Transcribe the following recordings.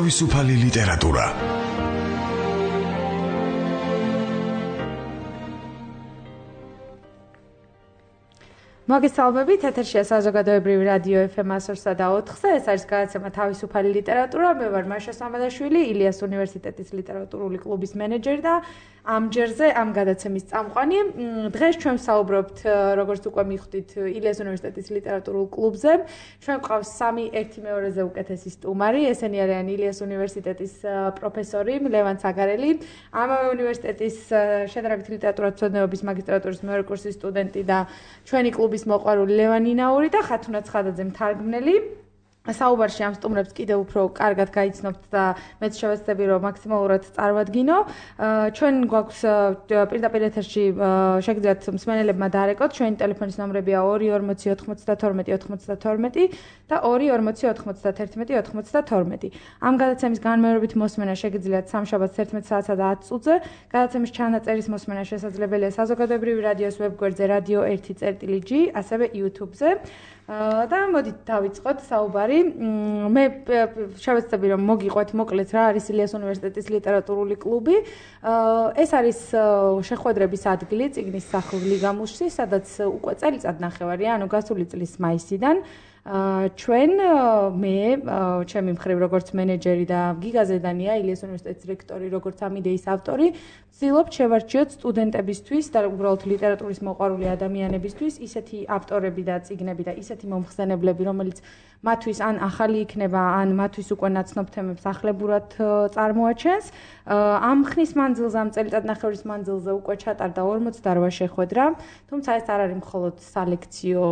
თავისუფალი ლიტერატურა. მოგესალმებით, ეთერშია საზოგადოებრივი რადიო FM 104.4-ზე. ეს არის გადაცემა თავისუფალი ლიტერატურა. მე ვარ მაშა სამადაშვილი, ილიას უნივერსიტეტის ლიტერატურული კლუბის მენეჯერი და ამ ჯერზე ამ გადაცემის წამყვანი. დღეს ჩვენ ვსაუბრობთ, როგორც უკვე მიხვდით, ილიას უნივერსიტეტის ლიტერატურულ კლუბზე. ჩვენ გვყავს 3-1-2-ზე უკეთესი სტუმარი. ესენი არიან ილიას უნივერსიტეტის პროფესორი ლევან ცაგარელი, ამავე უნივერსიტეტის შედარებით ლიტერატურათმცოდნეობის მაგისტრატურის მეორე კურსის სტუდენტი და ჩვენი კლუბის მოყვარული ლევან ინაური და ხათუნა ცხადაძე მთარგმნელი. საუბარში ამ სტუმრებს კიდევ უფრო კარგად გაიცნობთ და მეც შევეცდები რომ მაქსიმალურად წარმოვადგინო. ჩვენ გვაქვს პირდაპირ ეთერში შეგიძლიათ მსმენელებმა დაარეკოთ. ჩვენი ტელეფონის ნომრებია 2409092 და 24091 ამ გადაცემის განმეორებით მოსმენა შეგიძლიათ სამშაბათს 11 საათსა და 10 წუთზე. გადაცემის ჩანაწერის მოსმენა შესაძლებელია საზოგადოებრივი რადიოს ვებგვერდზე radio 1.g, ასევე YouTube-ზე. და მოდით დავიწყოთ საუბარი. მე შევეცდები რომ მოგიყვეთ მოკლედ რა არის ილიას უნივერსიტეტის ლიტერატურული კლუბი. ეს არის შეხვედრების ადგილი წიგნის სახლ ლიგამუსში, სადაც უკვე წელიწადნახევარი, ანუ გასული წლის მაისიდან ჩვენ მე ჩემი მხრივ როგორც მენეჯერი და გიგა ზედანია ილიას უნივერსიტეტის რექტორი როგორც ამ იდეის ავტორი ვცდილობთ შევარჩიოთ სტუდენტებისთვის და უბრალოდ ლიტერატურის მოყვარული ადამიანებისთვის ისეთი ავტორები და წიგნები და ისეთი მომხსენებლები რომელიც მათთვის ან ახალი იქნება ან მათთვის უკვე ნაცნობ თემებს ახლებურად წარმოაჩენს. ამ ხნის მანძილზე ამ წელიწადნახევრის მანძილზე უკვე ჩატარდა 48 შეხვედრა, თუმცა ეს არ არის მხოლოდ სალექციო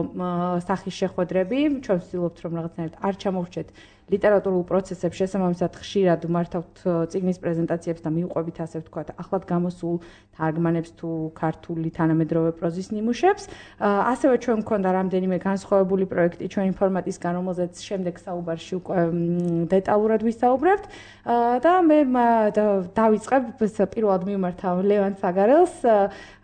სახის შეხვედრები. ჩვენ ვცდილობთ რომ რაღაცნაირად არ ჩამოვრჩეთ ლიტერატურულ პროცესებს, შესაბამისად ხშირად მართავთ წიგნის პრეზენტაციებს და მიუყვებით ასე ვთქვათ ახლად გამოსულ თარგმანებს თუ ქართული თანამედროვე პროზის ნიმუშებს. ასევე ჩვენ მქონდა რამდენიმე განსხვავებული პროექტი ჩვენი ფორმატისგან, რომელზეც შემდეგ საუბარში უკვე დეტალურად ვისაუბრებთ. და მე დავიწყებ პირველად მივმართავ ლევან ცაგარელს.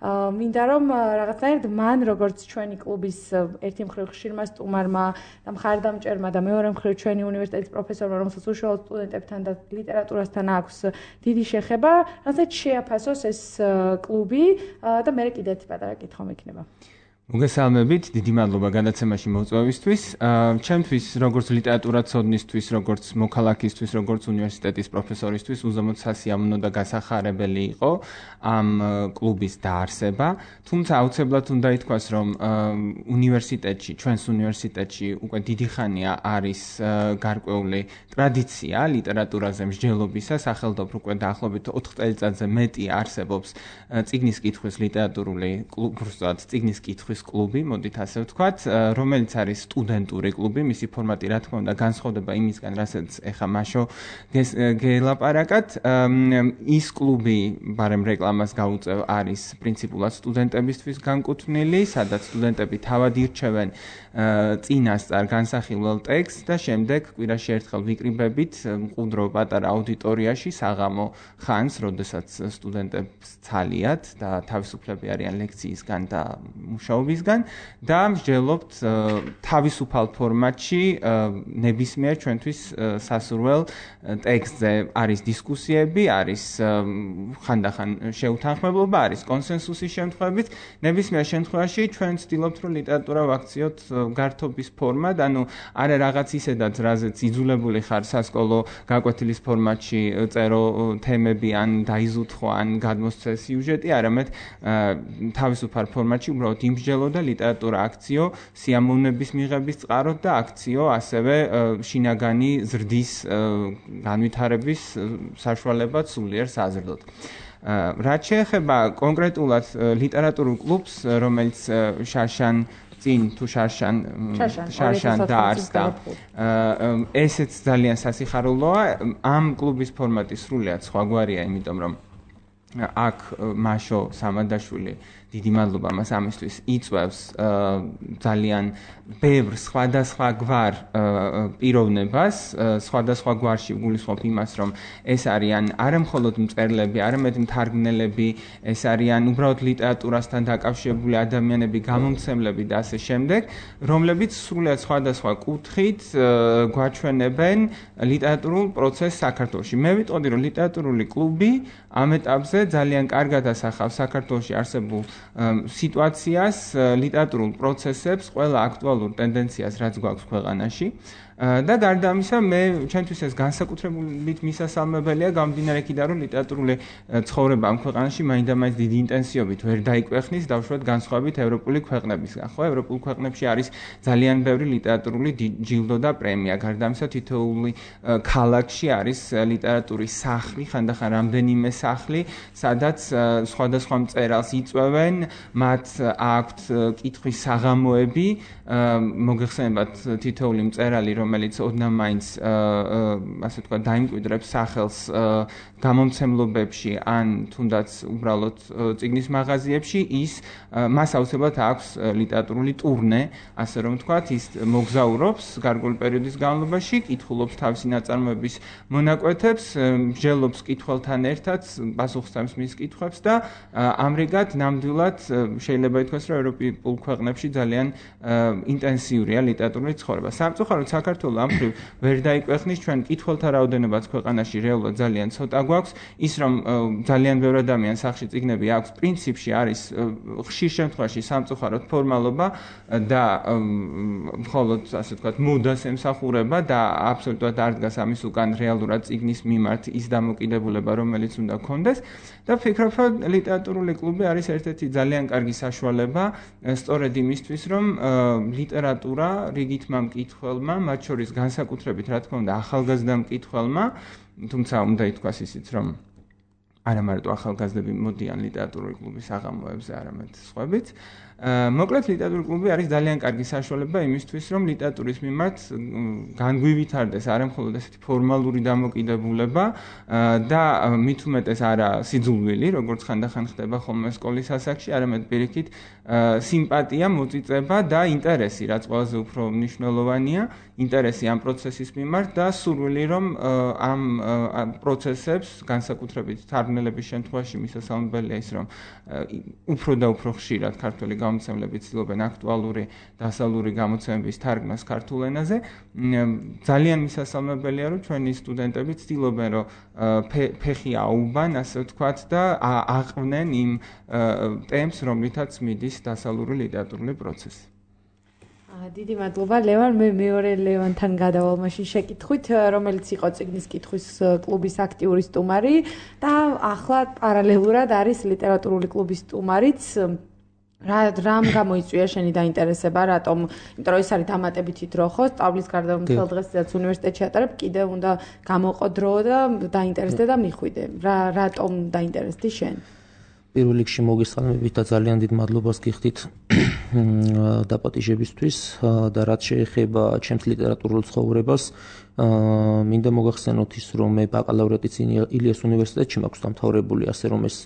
მინდა რომ რაღაცნაირად მან როგორც ჩვენი კლუბის ერთი მხრივ ხშირმა სტუმარმა და მხარდამჭერმა და მეორე მხრივ ჩვენი უნივერსიტეტის პროფესორმა, რომელსაც უშუალოდ სტუდენტებთან და ლიტერატურასთან აქვს დიდი შეხება, რასაც შეაფასოს ეს კლუბი და მე კიდე ერთი პატარა კითხვა მექნება. მოგესალმებით, დიდი მადლობა გადაცემაში მოწვევისთვის. ჩემთვის როგორც ლიტერატურათმცოდნისთვის, როგორც მოქალაქისთვის, როგორც უნივერსიტეტის პროფესორისთვის უზომოდ სასიამოვნო და გასახარებელი იყო ამ კლუბის დაარსება. თუმცა აუცილებლად უნდა ითქვას, რომ უნივერსიტეტში, ჩვენს უნივერსიტეტში უკვე დიდი ხანია არის გარკვეული ტრადიცია ლიტერატურაზე მსჯელობისა, სახელმწიფო უკვე დაახლოებით 4 წელიწადზე მეტი არსებობს წიგნის კითხვის ლიტერატურული კლუბი, წიგნის კითხვის კლუბი, მოდით ასე ვთქვათ, რომელიც არის სტუდენტური კლუბი, მისი ფორმატი რა თქმა უნდა განსხვავდება იმისგან, რასაც ეხა მაშო გელაპარაკათ. ის კლუბი, ბარემ რეკლამას გაუწევ, არის პრინციპულად სტუდენტებისთვის განკუთვნილი, სადაც სტუდენტები თავად ირჩევენ წინასწარ განსახილველ ტექსტს და შემდეგ კვირაში ერთხელ ვიკრიბებით მყუდრო პატარა აუდიტორიაში საღამო ხანს, როდესაც სტუდენტებს ცალიათ და თავისუფლები არიან ლექციისგან და მუშაობისგან და მსჯელობთ თავისუფალ ფორმატში ნებისმიერ ჩვენთვის სასურველ ტექსტზე. არის დისკუსიები, არის ხანდახან შეუთანხმებლობა, არის კონსენსუსის შემთხვევებით. ნებისმიერ შემთხვევაში ჩვენ ვცდილობთ რომ ლიტერატურა ვაქციოთ გართობის ფორმად, ანუ არა რაღაც ისედაც, რაზეც იძულებული ხარ სასკოლო გაკვეთილის ფორმატში წერო თემები ან დაიზუთხო ან გადმოსცე სიუჟეტი, არამედ თავისუფალ ფორმატში უბრალოდ იმსჯელო და ლიტერატურა აქციო სიამოვნების მიღების წყაროდ და აქციო ასევე შინაგანი ზრდის განვითარების საშუალებად სულიერ საზრდოდ. რაც შეეხება კონკრეტულად ლიტერატურულ კლუბს, რომელიც შარშან წინ თუ შარშან დაარსდა. ესეც ძალიან სასიხარულოა. ამ კლუბის ფორმატი სრულიად სხვაგვარია, იმიტომ რომ აქ მაშო სამადაშვილი დიდი მადლობა მას ამისთვის იწვევს ძალიან ბევრ სხვადასხვაგვარ პიროვნებას, სხვადასხვა გვარში ვგულისხმობ იმას, რომ ეს არიან არა მხოლოდ მწერლები, არამედ მთარგმნელები, ეს არიან უბრალოდ ლიტერატურასთან დაკავშირებული ადამიანები, გამომცემლები და ასე შემდეგ, რომლებიც სრულიად სხვადასხვა კუთხით გვაჩვენებენ ლიტერატურულ პროცესს საქართველოში. მე ვიტყოდი, რომ ლიტერატურული კლუბი ამ ეტაპზე ძალიან კარგად ასახავს საქართველოში არსებულ სიტუაციას, ლიტერატურულ პროცესებს, ყველა აქტუალურ ტენდენციას, რაც გვაქვს ქვეყანაში. და გარდა ამისა, მე ჩემთვის ეს განსაკუთრებით მისასალმებელია გამომდინარე იქიდან, რომ ლიტერატურული ცხოვრება ამ ქვეყანაში მაინდა-მაინც დიდი ინტენსივობით ვერ დაიკვეხნის, დავუშვათ განსხვავებით ევროპული ქვეყნებისგან. ხო, ევროპულ ქვეყნებში არის ძალიან ბევრი ლიტერატურული ჯილდო და პრემია. გარდა ამისა, თითოეული ქალაქში არის ლიტერატურის სახლი, ხანდახან რამდენიმე სახლი, სადაც სხვადასხვა მწერალს იწვევენ, მათ აქვთ კითხვის საღამოები, მოგეხსენებათ თითოეული მწერალი, რომელიც ოდნავ მაინც ასე თქვა დაიმკვიდრებს სახელს გამომცემლობებში ან თუნდაც უბრალოდ წიგნის მაღაზიებში, მას აუცილებლად აქვს ლიტერატურული ტურნე, ასე რომ ვთქვათ, ის მოგზაურობს გარკვეული პერიოდის განმავლობაში, კითხულობს თავისი ნაწარმოების მონაკვეთებს, მსჯელობს კითხველთან ერთად, პასუხს მის კითხვებს და ამრიგად ნამდვილად შეიძლება ითქვას, რომ ევროპულ ქვეყნებში ძალიან ინტენსიურია ლიტერატურული ცხოვრება. სამწუხაროდ საქართველოს ამ მხრივ ვერ დაიკვეხნის, ჩვენ კითხველთა რაოდენობაც ქვეყანაში რეალურად ძალიან ცოტა გვაქვს, ის რომ ძალიან ბევრი ადამიანს სახში წიგნები აქვს, პრინციპში არის ხშირ შემთხვევაში სამწუხაროდ ფორმალობა და მხოლოდ ასე ვთქვათ მოდას ემსახურება და აბსოლუტურად არ დგას ამის უკან რეალურად წიგნის მიმართ ის დამოკიდებულება, რომელიც უნდა გქონდეს და ვფიქრობ, რომ ლიტერატურული კლუბი არის ერთ-ერთი ძალიან კარგი საშუალება სწორედ იმისთვის, რომ ლიტერატურა რიგითმა მკითხველმა, მათ შორის განსაკუთრებით რა თქმა უნდა ახალგაზრდა მკითხველმა, თუმცა უნდა ითქვას ისიც, რომ არა მარტო ახალგაზრდები მოდიან ლიტერატურული კლუბის საღამოებზე, არამედ სხვაებიც. მოკლედ ლიტერატურული კლუბი არის ძალიან კარგი საშუალება იმისთვის, რომ ლიტერატურის მიმართ განგვივითარდეს არა მხოლოდ ესეთი ფორმალური დამოკიდებულება და მით უმეტეს არა სიძულვილი, როგორც ხანდახან ხდება ხოლმე სკოლის ასაკში, არამედ პირიქით სიმპათია, მოწიწება და ინტერესი, რაც ყველაზე უფრო მნიშვნელოვანია, ინტერესი ამ პროცესის მიმართ და სურვილი, რომ ამ პროცესებს განსაკუთრებით თარგმნელების შემთხვევაში მისასალმებელია ის, რომ უფრო და უფრო ხშირად ქართველი გამომცემლები ცდილობენ აქტუალური დასავლური გამოცემების თარგმნას ქართულ ენაზე. ძალიან მისასალმებელია, რომ ჩვენი სტუდენტები ცდილობენ, რომ ფეხი აუბან, ასე ვთქვათ, და აყვნენ იმ ტემპს, რომლითაც მიდის დასავლური ლიტერატურული პროცესი. დიდი მადლობა ლევან, მე მეორე ლევანთან გადავალ მაშინ შეკითხვით, რომელიც იყო წიგნის კითხვის კლუბის აქტიური სტუმარი და ახლა პარალელურად არის ლიტერატურული კლუბის სტუმარიც. რამ გამოიწვია შენი დაინტერესება, რატომ? იმიტომ რომ ეს არის დამატებითი დრო, ხო? სწავლის გარდა მთელ დღესაც უნივერსიტეტში ატარებ, კიდევ უნდა გამოყო დრო და დაინტერესდე და მიხვიდე. რატომ დაინტერესდი შენ? პირველ რიგში მოგესალმებით და ძალიან დიდ მადლობას გიხდით დაპატიჟებისთვის და რაც შეეხება ჩემს ლიტერატურულ ცხოვრებას, მინდა მოგახსენოთ ის, რომ მე ბაკალავრიატიც ილიას უნივერსიტეტში მაქვს დამთავრებული, ასე რომ ეს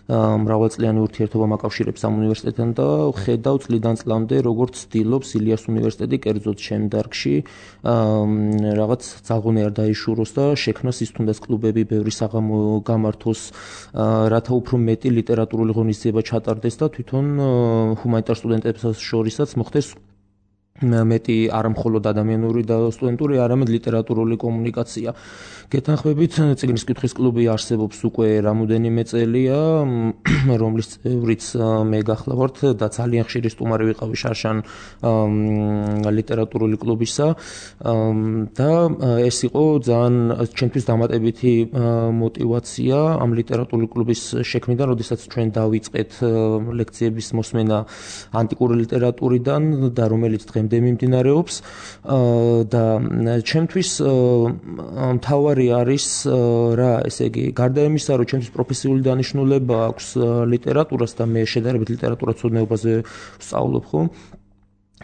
მრავალწლიანი ურთიერთობა მაკავშირებს ამ უნივერსიტეტთან და ხედავ წლიდან წლამდე როგორც ცდილობს ილიას უნივერსიტეტი კერძოდ ჩემ დარგში რაღაც ძალღონი არ დაიშუროს და შექმნას ის თუნდაც კლუბები ბევრი საღამო გამართოს, რათა უფრო მეტი ლიტერატურული ღონისძიება ჩატარდეს და თვითონ ჰუმანიტარ სტუდენტებს შორისაც მოხდეს მეტი არა მხოლოდ ადამიანური და სტუდენტური, არამედ ლიტერატურული კომუნიკაცია. გეთანხმებით, წიგნის კითხვის კლუბი არსებობს უკვე რამოდენიმე წელია, რომლის წევრიც მე გახლავართ და ძალიან ხშირი სტუმარი ვიყავი შარშან ლიტერატურული კლუბისა და ეს იყო ძალიან ჩემთვის დამატებითი მოტივაცია ამ ლიტერატურული კლუბის შექმნიდან, როდესაც ჩვენ დავიწყეთ ლექციების მოსმენა ანტიკური ლიტერატურიდან და რომელიც დღემდე მიმდინარეობს და ჩემთვის მთავარი არის რა, ესე იგი, გარდა იმისა, რომ ჩემთვის პროფესიული დანიშნულება აქვს ლიტერატურას და მე შედარებით ლიტერატურაცოდნეობაზე ვსწავლობ, ხო?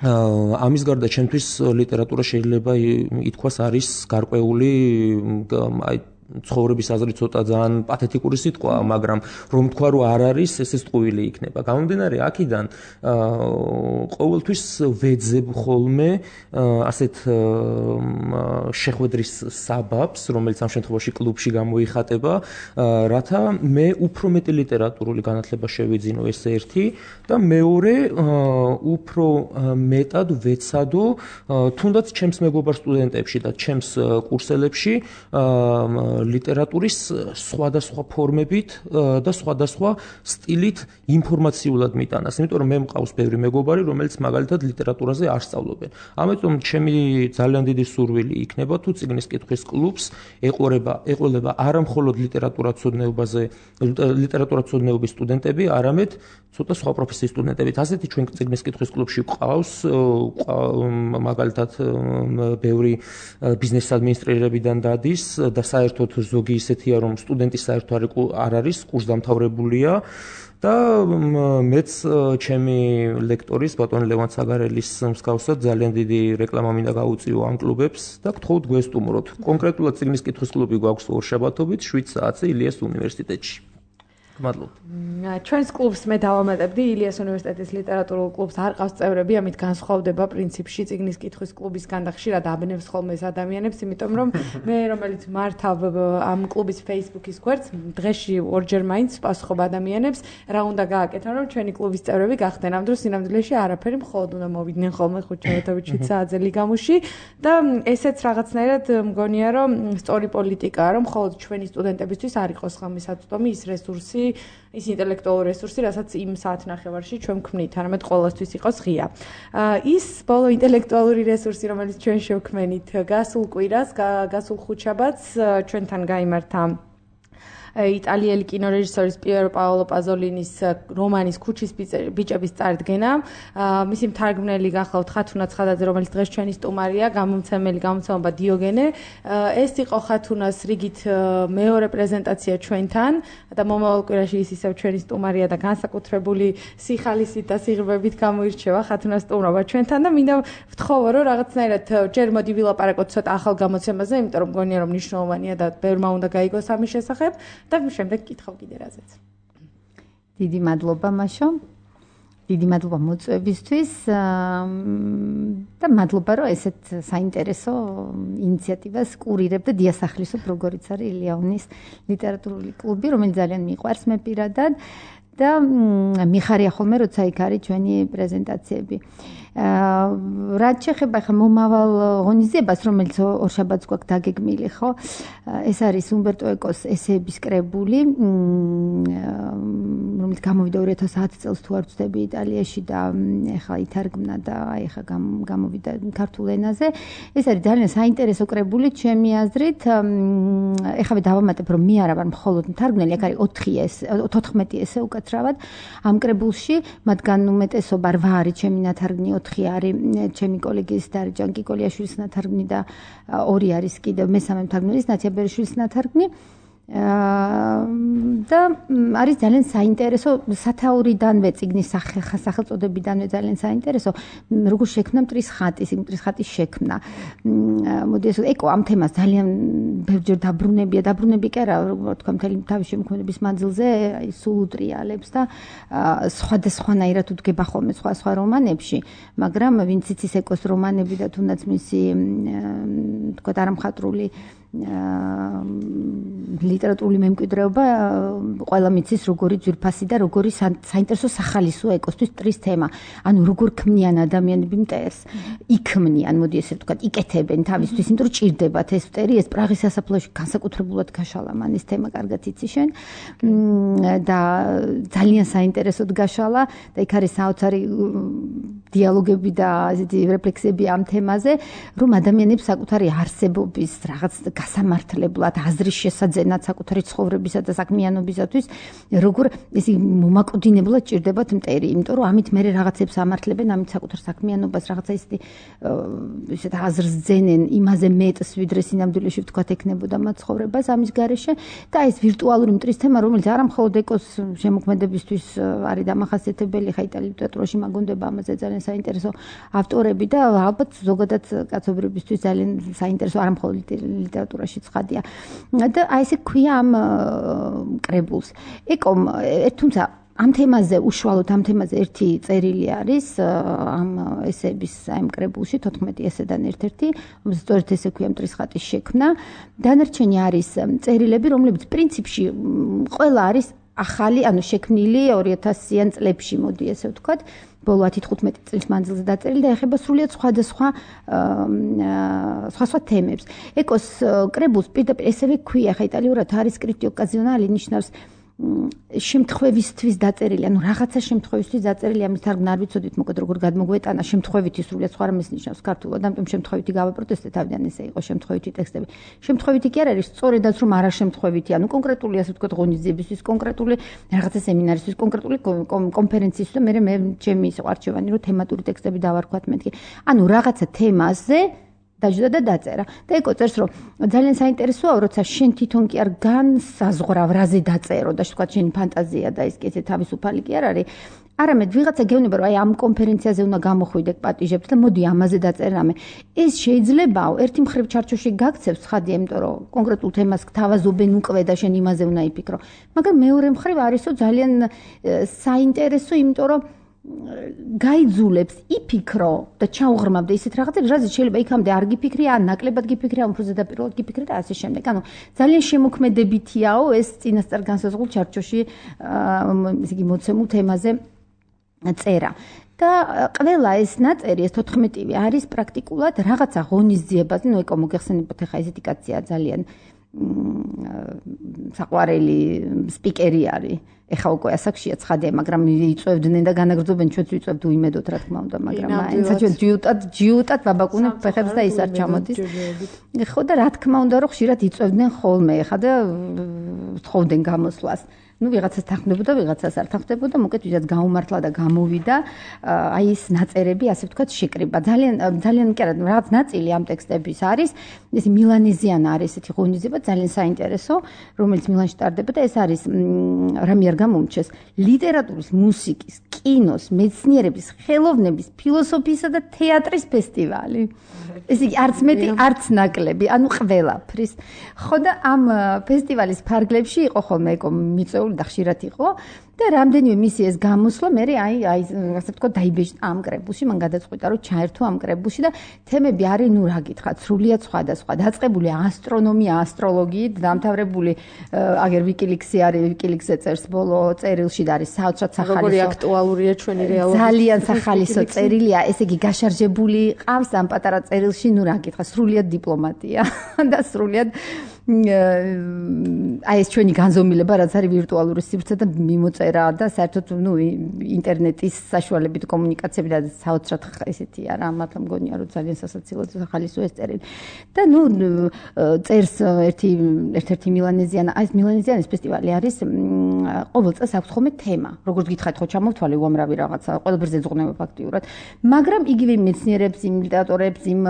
ამის გარდა ჩემთვის ლიტერატურა შეიძლება ითქვას არის გარკვეული ცხოვრების აზრი ცოტა ძალიან პათეტიკური სიტყვა, მაგრამ რომ თქვა რომ არ არის, ეს ტყუილი იქნება. გამომდინარე აქედან ყოველთვის ვეძებ ხოლმე ასეთ შეხვედრის საბაბს, რომელიც ამ შემთხვევაში კლუბში გამოიხატება, რათა მე უფრო მეტი ლიტერატურული განათლება შევიძინო, ეს ერთი და მეორე უფრო მეტად ვეცადო თუნდაც ჩემს მეგობარ სტუდენტებში და ჩემს კურსელებში ლიტერატურის სხვადასხვა ფორმებით და სხვადასხვა სტილით ინფორმაციულად მიტანას, იმიტომ რომ მე მყავს ბევრი მეგობარი, რომელიც მაგალითად ლიტერატურაზე არ სწავლობენ. ამიტომ ჩემი ძალიან დიდი სურვილი იქნება თუ წიგნის კითხვის კლუბს ეყოლება არა მხოლოდ ლიტერატურათმცოდნეობის სტუდენტები, არამედ ცოტა სხვა პროფესიის სტუდენტებით. ასეთი ჩვენ წიგნის კითხვის კლუბში ყავს მაგალითად ბევრი ბიზნეს ადმინისტრირებიდან დადის და საერთოდ ზოგი ისეთია, რომ სტუდენტი საერთოდ არ არის, კურსდამთავრებულია და მეც ჩემი ლექტორის ბატონ ლევან საგარელის მსგავსად ძალიან დიდი რეკლამა მინდა გაუწიო ამ კლუბებს და გთხოვთ გვესტუმროთ. კონკრეტულად წიგნის კითხვის კლუბი გვაქვს ორშაბათობით 7 საათზე ილიას უნივერსიტეტში. მადლობთ. ჩვენს კლუბს მე დავამატებდი ილიას უნივერსიტეტის ლიტერატურულ კლუბს არ ყავს წევრები, ამით განსხვავდება პრინციპში წიგნის კითხვის კლუბისგან და ხშირად აბნევს ხოლმე ეს ადამიანებს, იმიტომ რომ მე რომელიც მართავ ამ კლუბის Facebook-ის გვერდს, დღეში ორჯერ მაინც ვპასუხობ ადამიანებს, რა უნდა გააკეთონ, რომ ჩვენი კლუბის წევრები გახდნენ. ამ დროს სინამდვილეში არაფერი, მხოლოდ უნდა მოვიდნენ ხოლმე 5 საათზე ლიგამუში და ესეც რაღაცნაირად მგონია, რომ სწორი პოლიტიკაა, რომ მხოლოდ ჩვენი სტუდენტებისთვის არ იყოს ხოლმე საწვდომი ის რესურსი, ის ინტელექტუალური რესურსი, რასაც იმ საათნახევარში ჩვენ ვქმნით, არამედ ყოველთვის იყოს ღია. ის ბოლო ინტელექტუალური რესურსი, რომელიც ჩვენ შევქმენით, გასულ კვირას, გასულ ხუთშაბათს ჩვენთან გაიმართა იტალიელი კინორეჟისორის პიერო პაოლო პაზოლინის რომანის ქუჩის ბიჭების წარდგენა. მისი მთარგმნელი გახლავთ ხათუნა ცხადაძე, რომელიც დღეს ჩვენი სტუმარია, გამომცემლობა დიოგენე. ეს იყო ხათუნას რიგით მეორე პრეზენტაცია ჩვენთან და მომავალ კვირაში ის ისევ ჩვენი სტუმარია და განსაკუთრებული სიხალისით და სიღრმებით გამოირჩევა ხათუნას სტუმრობა ჩვენთან და მინდა ვთხოვო, რომ რაღაცნაირად ჯერ მოდი ვილაპარაკოთ ცოტა ახალ გამოცემაზე, იმიტომ რომ მგონია რომ მნიშვნელოვანია და ბევრმა უნდა გაიგოს ამის შესახებ. და შემდეგ კითხავ კიდე რაზეც. დიდი მადლობა მაშო. დიდი მადლობა მოწვევისთვის და მადლობა რომ ესეთ საინტერესო ინიციატივას კურირებ და დიასახლისობ, როგორიც არის ილიაუნის ლიტერატურული კლუბი, რომელიც ძალიან მიყვარს მე პირადად და მიხარია ხოლმე როცა იქ არის ჩვენი პრეზენტაციები. რაც შეეხება ხა მომავალ ღონისძიებას, რომელიც ორშაბათს გვაქვს დაგეგმილი, ხო? ეს არის უმბერტო ეკოს ესეების კრებული, რომელიც გამოვიდა 2010 წელს თუ არ ვცდები იტალიაში და ეხლა ითარგმნა და ეხლა გამოვიდა ქართულ ენაზე. ეს არის ძალიან საინტერესო კრებული ჩემი აზრით. ეხლა დავამატებ, რომ მე არა ვარ მხოლოდ მთარგმნელი, აქ არის 14 ესე უკაცრავად ამ კრებულში, მათგან უმეტესობა 8 არის ჩემი ნათარგმნი, 4 არის ჩემი კოლეგის დარიჯან კიკოლიაშვილის ნათარგმნი და 2 არის კიდევ მესამე მთარგმნელის ნათია ბერიშვილის ნათარგმნი. და არის ძალიან საინტერესო სათაურიდანვე წიგნის სახელწოდებიდანვე ძალიან საინტერესო როგორ შექმნა მტრის ხატის შექმნა. მოდი ეს ეკო ამ თემას ძალიან ბევრჯერ დაბრუნები კი არა, როგორ თქვა მთელი თავის შემოქმედების მანძილზე სულ უტრიალებს და სხვადასხვანაირად უდგება ხოლმე სხვა რომანებში, მაგრამ ვინც იცის ეკოს რომანები და თუნდაც მისი თქვა არამხატრული ლიტერატურული მემკვიდრეობა ყველა მიცის როგორი ძვირფასი და როგორი საინტერესო სახალისოა ეკოსთვის მტრის თემა. ანუ როგორ ქმნიან ადამიანები მტერს, იქმნიან, მოდი ესე ვთქვათ, იკეთებენ თავისთვის, იმიტომ რომ ჭირდებათ ეს მტერი, ეს პრაღის სასაფლაოში განსაკუთრებულად გაშალა მან ეს თემა კარგად იცი შენ და ძალიან საინტერესოდ გაშალა და იქ არის საოცარი დიალოგები და ესეთი რეფლექსიები ამ თემაზე, რომ ადამიანებს საკუთარი არსებობის რაღაც გასამართლებლად, აზრის შესაძენად საკუთარი ცხოვრებისა და საქმიანობისათვის როგორ ესი მომაკვდინებლად ჭირდებათ მტერი, იმიტომ რომ ამით მე რაღაცებს ამართლებენ, ამით საკუთარ საქმიანობას რაღაცა ისეთ აზრს ძენენ, იმაზე მეტს ვიდრე სინამდვილეში ვთქვათ ექნებოდა მათ ცხოვრებას ამის გარეშე და ეს ვირტუალური მტრის თემა, რომელიც არა მხოლოდ ეკოს შემოქმედებისთვის არის დამახასიათებელი, ხა იტალიის ლიტერატურაში მაგონდება ამაზე ძალიან ძალიან საინტერესო ავტორები და ალბათ ზოგადად კაცობრიობისთვის ძალიან საინტერესო არ მხოლოდ ლიტერატურაში ცხადია. და აი ესე ქვია ამ კრებულს. ეკომ თუმცა ამ თემაზე უშუალოდ ამ თემაზე ერთი წერილი არის ამ ესეების ამ კრებულში 14 ესედან ერთ-ერთი, რომელსაც სწორედ ესე ქვია მტრის ხატის შექმნა. დანარჩენი არის წერილები, რომლებიც პრინციპში ყველა არის ახალი, ანუ შექმნილი 2000-იან წლებში, მოდი ესე ვთქვათ, ბოლო 10-15 წლის მანძილზე დაწერილი და ეხება სრულიად სხვადასხვა თემებს. ეკოს კრებულს პირდაპირ ესევე ქვია, ხა იტალიურად არის scritto occasionale, ნიშნავს შემთხვევისთვის დაწერილი, ანუ რაღაცა შემთხვევისთვის დაწერილი, ამის თარგმნა არ ვიცოდით, მოკლედ როგორ გადმოგვეტანა შემთხვევითი სრულიად სხვა რამეს ნიშნავს ქართულად, ამიტომ შემთხვევითი გავაპროტესტე თავიდან ესე იყო შემთხვევითი ტექსტები. შემთხვევითი კი არ არის, სწორედაც რომ არა შემთხვევითი, ანუ კონკრეტული ასე ვთქვათ ღონისძიებისთვის, კონკრეტული რაღაცა სემინარისთვის, კონკრეტული კონფერენციისთვის და მე ჩემი ის არჩევანი რომ თემატური ტექსტები დავარქვათ მეთქი. ანუ რაღაცა თემაზე დაჯდა და დაწერა. და ეკო წერს რომ ძალიან საინტერესოა, როცა შენ თვითონ კი არ განსაზღვრავ რაზე დაწერო და თქვა შენი ფანტაზია და ის კეთე თავისუფალი კი არ არის. არამედ ვიღაცა გეუბნება რომ აი ამ კონფერენციაზე უნდა გამოხვიდე პატიჟებს და მოდი ამაზე დაწერე რამე. ეს შეიძლებაო ერთი მხრივ ჩარჩოში გაქცევს ხადია, იმიტომ რომ კონკრეტულ თემას გთავაზობენ უკვე და შენ იმაზე უნდა იფიქრო. მაგრამ მეორე მხრივ არისო ძალიან საინტერესო, იმიტომ რომ გაიძულებს იფიქრო და ჩაუღრმავ და ისეთ რაღაცებს, რაზეც შეიძლება იქამდე არ გიფიქრე, ან ნაკლებად გიფიქრე, ან უფრო ზედაპირულად გიფიქრე და ასე შემდეგ. ანუ ძალიან შემოქმედებითიაო ეს წინასწარ განსაზღვრულ ჩარჩოში ესე იგი მოცემულ თემაზე წერა. და ყველა ეს ნაწერი, ეს 14-ვე არის პრაქტიკულად რაღაცა ღონისძიებაზე, ნუ ეკო მოგეხსენებათ ახლა ესეთი კაცია ძალიან საყვარელი სპიკერი არის. ეხა უკვე ასაკშია ცხადია, მაგრამ იწევდნენ და განაგრძობენ, ჩვენც ვიწევთ უიმედოდ, რა თქმა უნდა, მაგრამ აინცა ჩვენ ჯიუტად ვაბაკუნებ ფეხებს და ის არ ჩამოდის. ხო და რა თქმა უნდა, რომ ხშირად იწევდნენ ხოლმე, ეხა და თხოვდნენ გამოსვლას. ну ვიღაცას თანხმდებოდა, ვიღაცას არ თანხმდებოდა, მოკეთ ვისაც გაუმართლა და გამოვიდა, აი ეს ნაწერები, ასე ვთქვათ, შეკრიბა. ძალიან კი არა, რაღაც ნაწილი ამ ტექსტების არის, ეს მილანეზიან არის ესეთი ღონისძიება, ძალიან საინტერესო, რომელიც მილანში ტარდება და ეს არის რამე არ გამომჩეს, ლიტერატურის, მუსიკის, კინოს, მეცნიერების, ხელოვნების, ფილოსოფიისა და თეატრის ფესტივალი. ეს იგი არც მეტი, არც ნაკლები, ანუ ყველაფრის. ხო და ამ ფესტივალის ფარგლებში იყო ხოლმე ეკო მიწეული და ხშირად იყო და რამდენიმე მისი ეს გამოსვლა მე აი ასე ვთქვათ დაიბეჭდა ამ კრებულში, მან გადაწყვიტა რომ ჩაერთო ამ კრებულში და თემები არის ნუ რა გითხრათ, სრულიად სხვადასხვა, დაწყებული ასტრონომია, ასტროლოგიით, დამთავრებული აგერ ვიკილიქსი არის, ვიკილიქსზე წერს ბოლო წერილში და არის საოცრად სახალისო. როგორი აქტუალურია ჩვენი რეალობა. ძალიან სახალისო წერილია, ესე იგი გაშარჟებული ყავს ამ პატარა წერილში, ნუ რა გითხრათ, სრულიად დიპლომატია და სრულიად აი ეს ჩვენი განზომილება, რაც არის ვირტუალური სივრცე და მიმოწერა და საერთოდ ნუ ინტერნეტის საშუალებით კომუნიკაციები და საოცრად ესეთია რა, მაგრამ მგონია რომ ძალიან სასაცილო სახალისო ეს წერილი. და ნუ წერს ერთ-ერთი მილანეზიანა, აი ეს მილანეზიანის ფესტივალი არის ყოველ წელს აქვს ხოლმე თემა. როგორც გითხარით, ხო ჩამოვთვალე უამრავი რაღაცა, ყველაფერზე ეძღვნება ფაქტიურად. მაგრამ იგივე მეცნიერებს, იმ ლიტერატორებს, იმ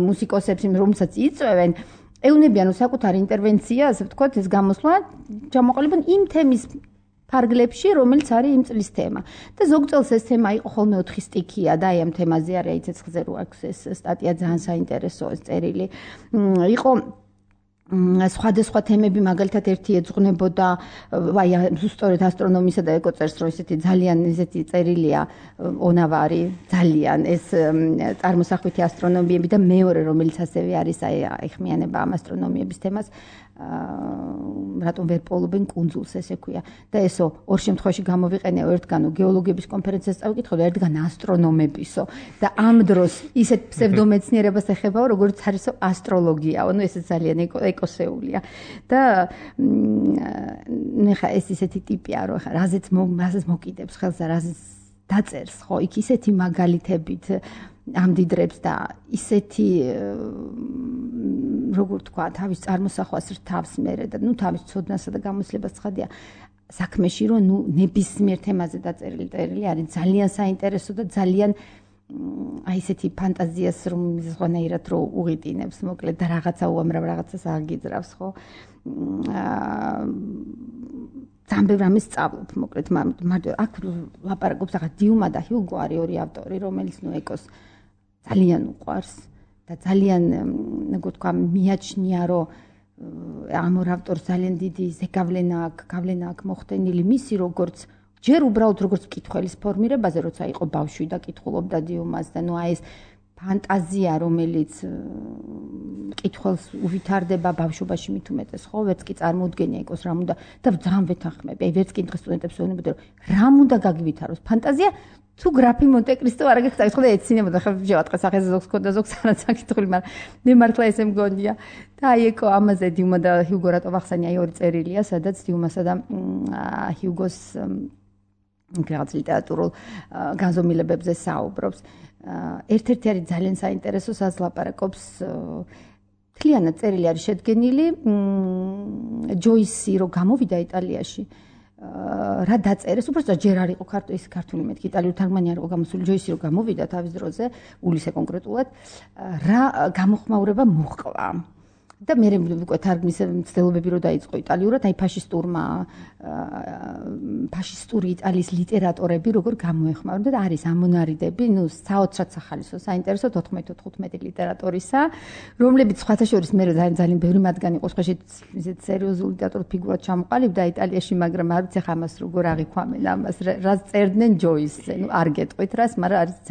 მუსიკოსებს, იმ რომელსაც იწვევენ ეუნებიან საკუთარი ინტერვენცია, ასე ვთქვათ, ეს გამოსვლა ჩამოყალიბონ იმ თემის ფარგლებში, რომელიც არის იმ წლის თემა. და ზოგ წელს ეს თემა იყო ხოლმე 4 სტიქია და აი ამ თემაზე არის აი ცეცხლზე რო აქვს ეს სტატია ძალიან საინტერესო ეს წერილი. იყო სხვადასხვა თემები, მაგალითად ერთი ეძღვნებოდა აი ზუსტად ასტრონომიისა და ეკოწერს, რომ ესეთი ძალიან ესეთი წერილია ონავარი, ძალიან ეს წარმოსახვითი ასტრონომიები და მეორე რომელიც ასევე არის აი ეხმიანება ამ ასტრონომიების თემას, რატომ ვერ პოულობენ კუნძულს ესე ქვია. და ესო ორ შემთხვევაში გამოვიყენეო, ერთგანო გეოლოგების კონფერენციას წავიკითხო და ერთგან ასტრონომებისო და ამ დროს ისეთ ფსევდომეცნიერებას ეხებაო, როგორც არისო ასტროლოგიაო, ну ესე ძალიან ეკოსეულია. და ნახა ეს ისეთი ტიპია, რომ ხა რაზეც მოკიდებს ხელს და რაზეც დაწერს, ხო, იქ ისეთი მაგალითებით ამდიდრებს და ისეთი როგორ თქვა, თავის წარმოსახვას რთავს მერე და ნუ თავის ცოდნასა და გამოსლებას ცხადია საქმეში, რომ ნუ ნებისმიერ თემაზე დაწერილი წერილი არის ძალიან საინტერესო და ძალიან აი ესეთი ფანტაზიას რომ ზღანაირად რო უღიტინებს, მოკლედ და რაღაცა უამრავ რაღაცას აგიძრავს, ხო? ძალიან ბევრ რამეს სწავლობ, მოკლედ, მარტო აქ ლაპარაკობს ახლა დიუმა და ჰიუგო არის ორი ავტორი, რომელიც ეკოს ძალიან უყვარს და ძალიან, როგორ თქვა, მიაჩნია, რომ ამ ორ ავტორს ძალიან დიდი ზეგავლენა აქვს მოხდენილი მისი როგორც ჯერ უბრალოდ როგორც კითხველის ფორმირებაზე, როცა იყო ბავშვი და კითხულობდა დიუმას და ნუ აი ეს ფანტაზია, რომელიც კითხველს უვითარდება ბავშვობაში მით უმეტეს, ხო, ვერც კი წარმოუდგენია იყოს რამ უნდა და ძალიან ვეთანხმები, აი ვერც კი დღეს სტუდენტებს ვეუბნებოდი, რომ რამ უნდა გაგივითაროს ფანტაზია, თუ გრაფი მონტე-კრისტო არ გეკითხა, ხო და ეცინებოდა, ხო შევატყეს ახლა ზოგს ქონდა ზოგს არაც აკითხული, მაგრამ მე მართლა ესე მგონია. და აი ეკო ამაზე დიუმა და ჰიუგო რატო ვახსენე, აი ორი წერილია, სადაც დიუმასა და ჰიუგოს რაღაც ლიტერატურულ განზომილებებზე საუბრობს. ერთ-ერთი არის ძალიან საინტერესო, სადაც ლაპარაკობს მთლიანად წერილი არის შედგენილი ჯოისი რო გამოვიდა იტალიაში რა დაწერეს, უბრალოდ ჯერ არ იყო ქართული მეთქი იტალიურ თარგმანი არ იყო გამოსული ჯოისი რო გამოვიდა თავის დროზე, ულისე კონკრეტულად, რა გამოხმაურება მოჰყვა. და მე უკვე თარგმნის მცდელობები რო დაიწყო იტალიურად, აი ფაშისტური იტალიის ლიტერატორები როგორ გამოეხმაურებდა და არის ამონარიდები, ნუ საოცრად სახალისო, საინტერესო 14-15 ლიტერატორისა, რომლებიც სხვათა შორის მე ძალიან ბევრი მათგანი იყო სხვა ისეთ სერიოზული ლიტერატურის ფიგურად ჩამოყალიბდა იტალიაში, მაგრამ არ ვიცი ხა ამას როგორ აღიქვამენ ამას, რაც წერდნენ ჯოისზე, ნუ არ გეტყვით რას, მაგრამ არის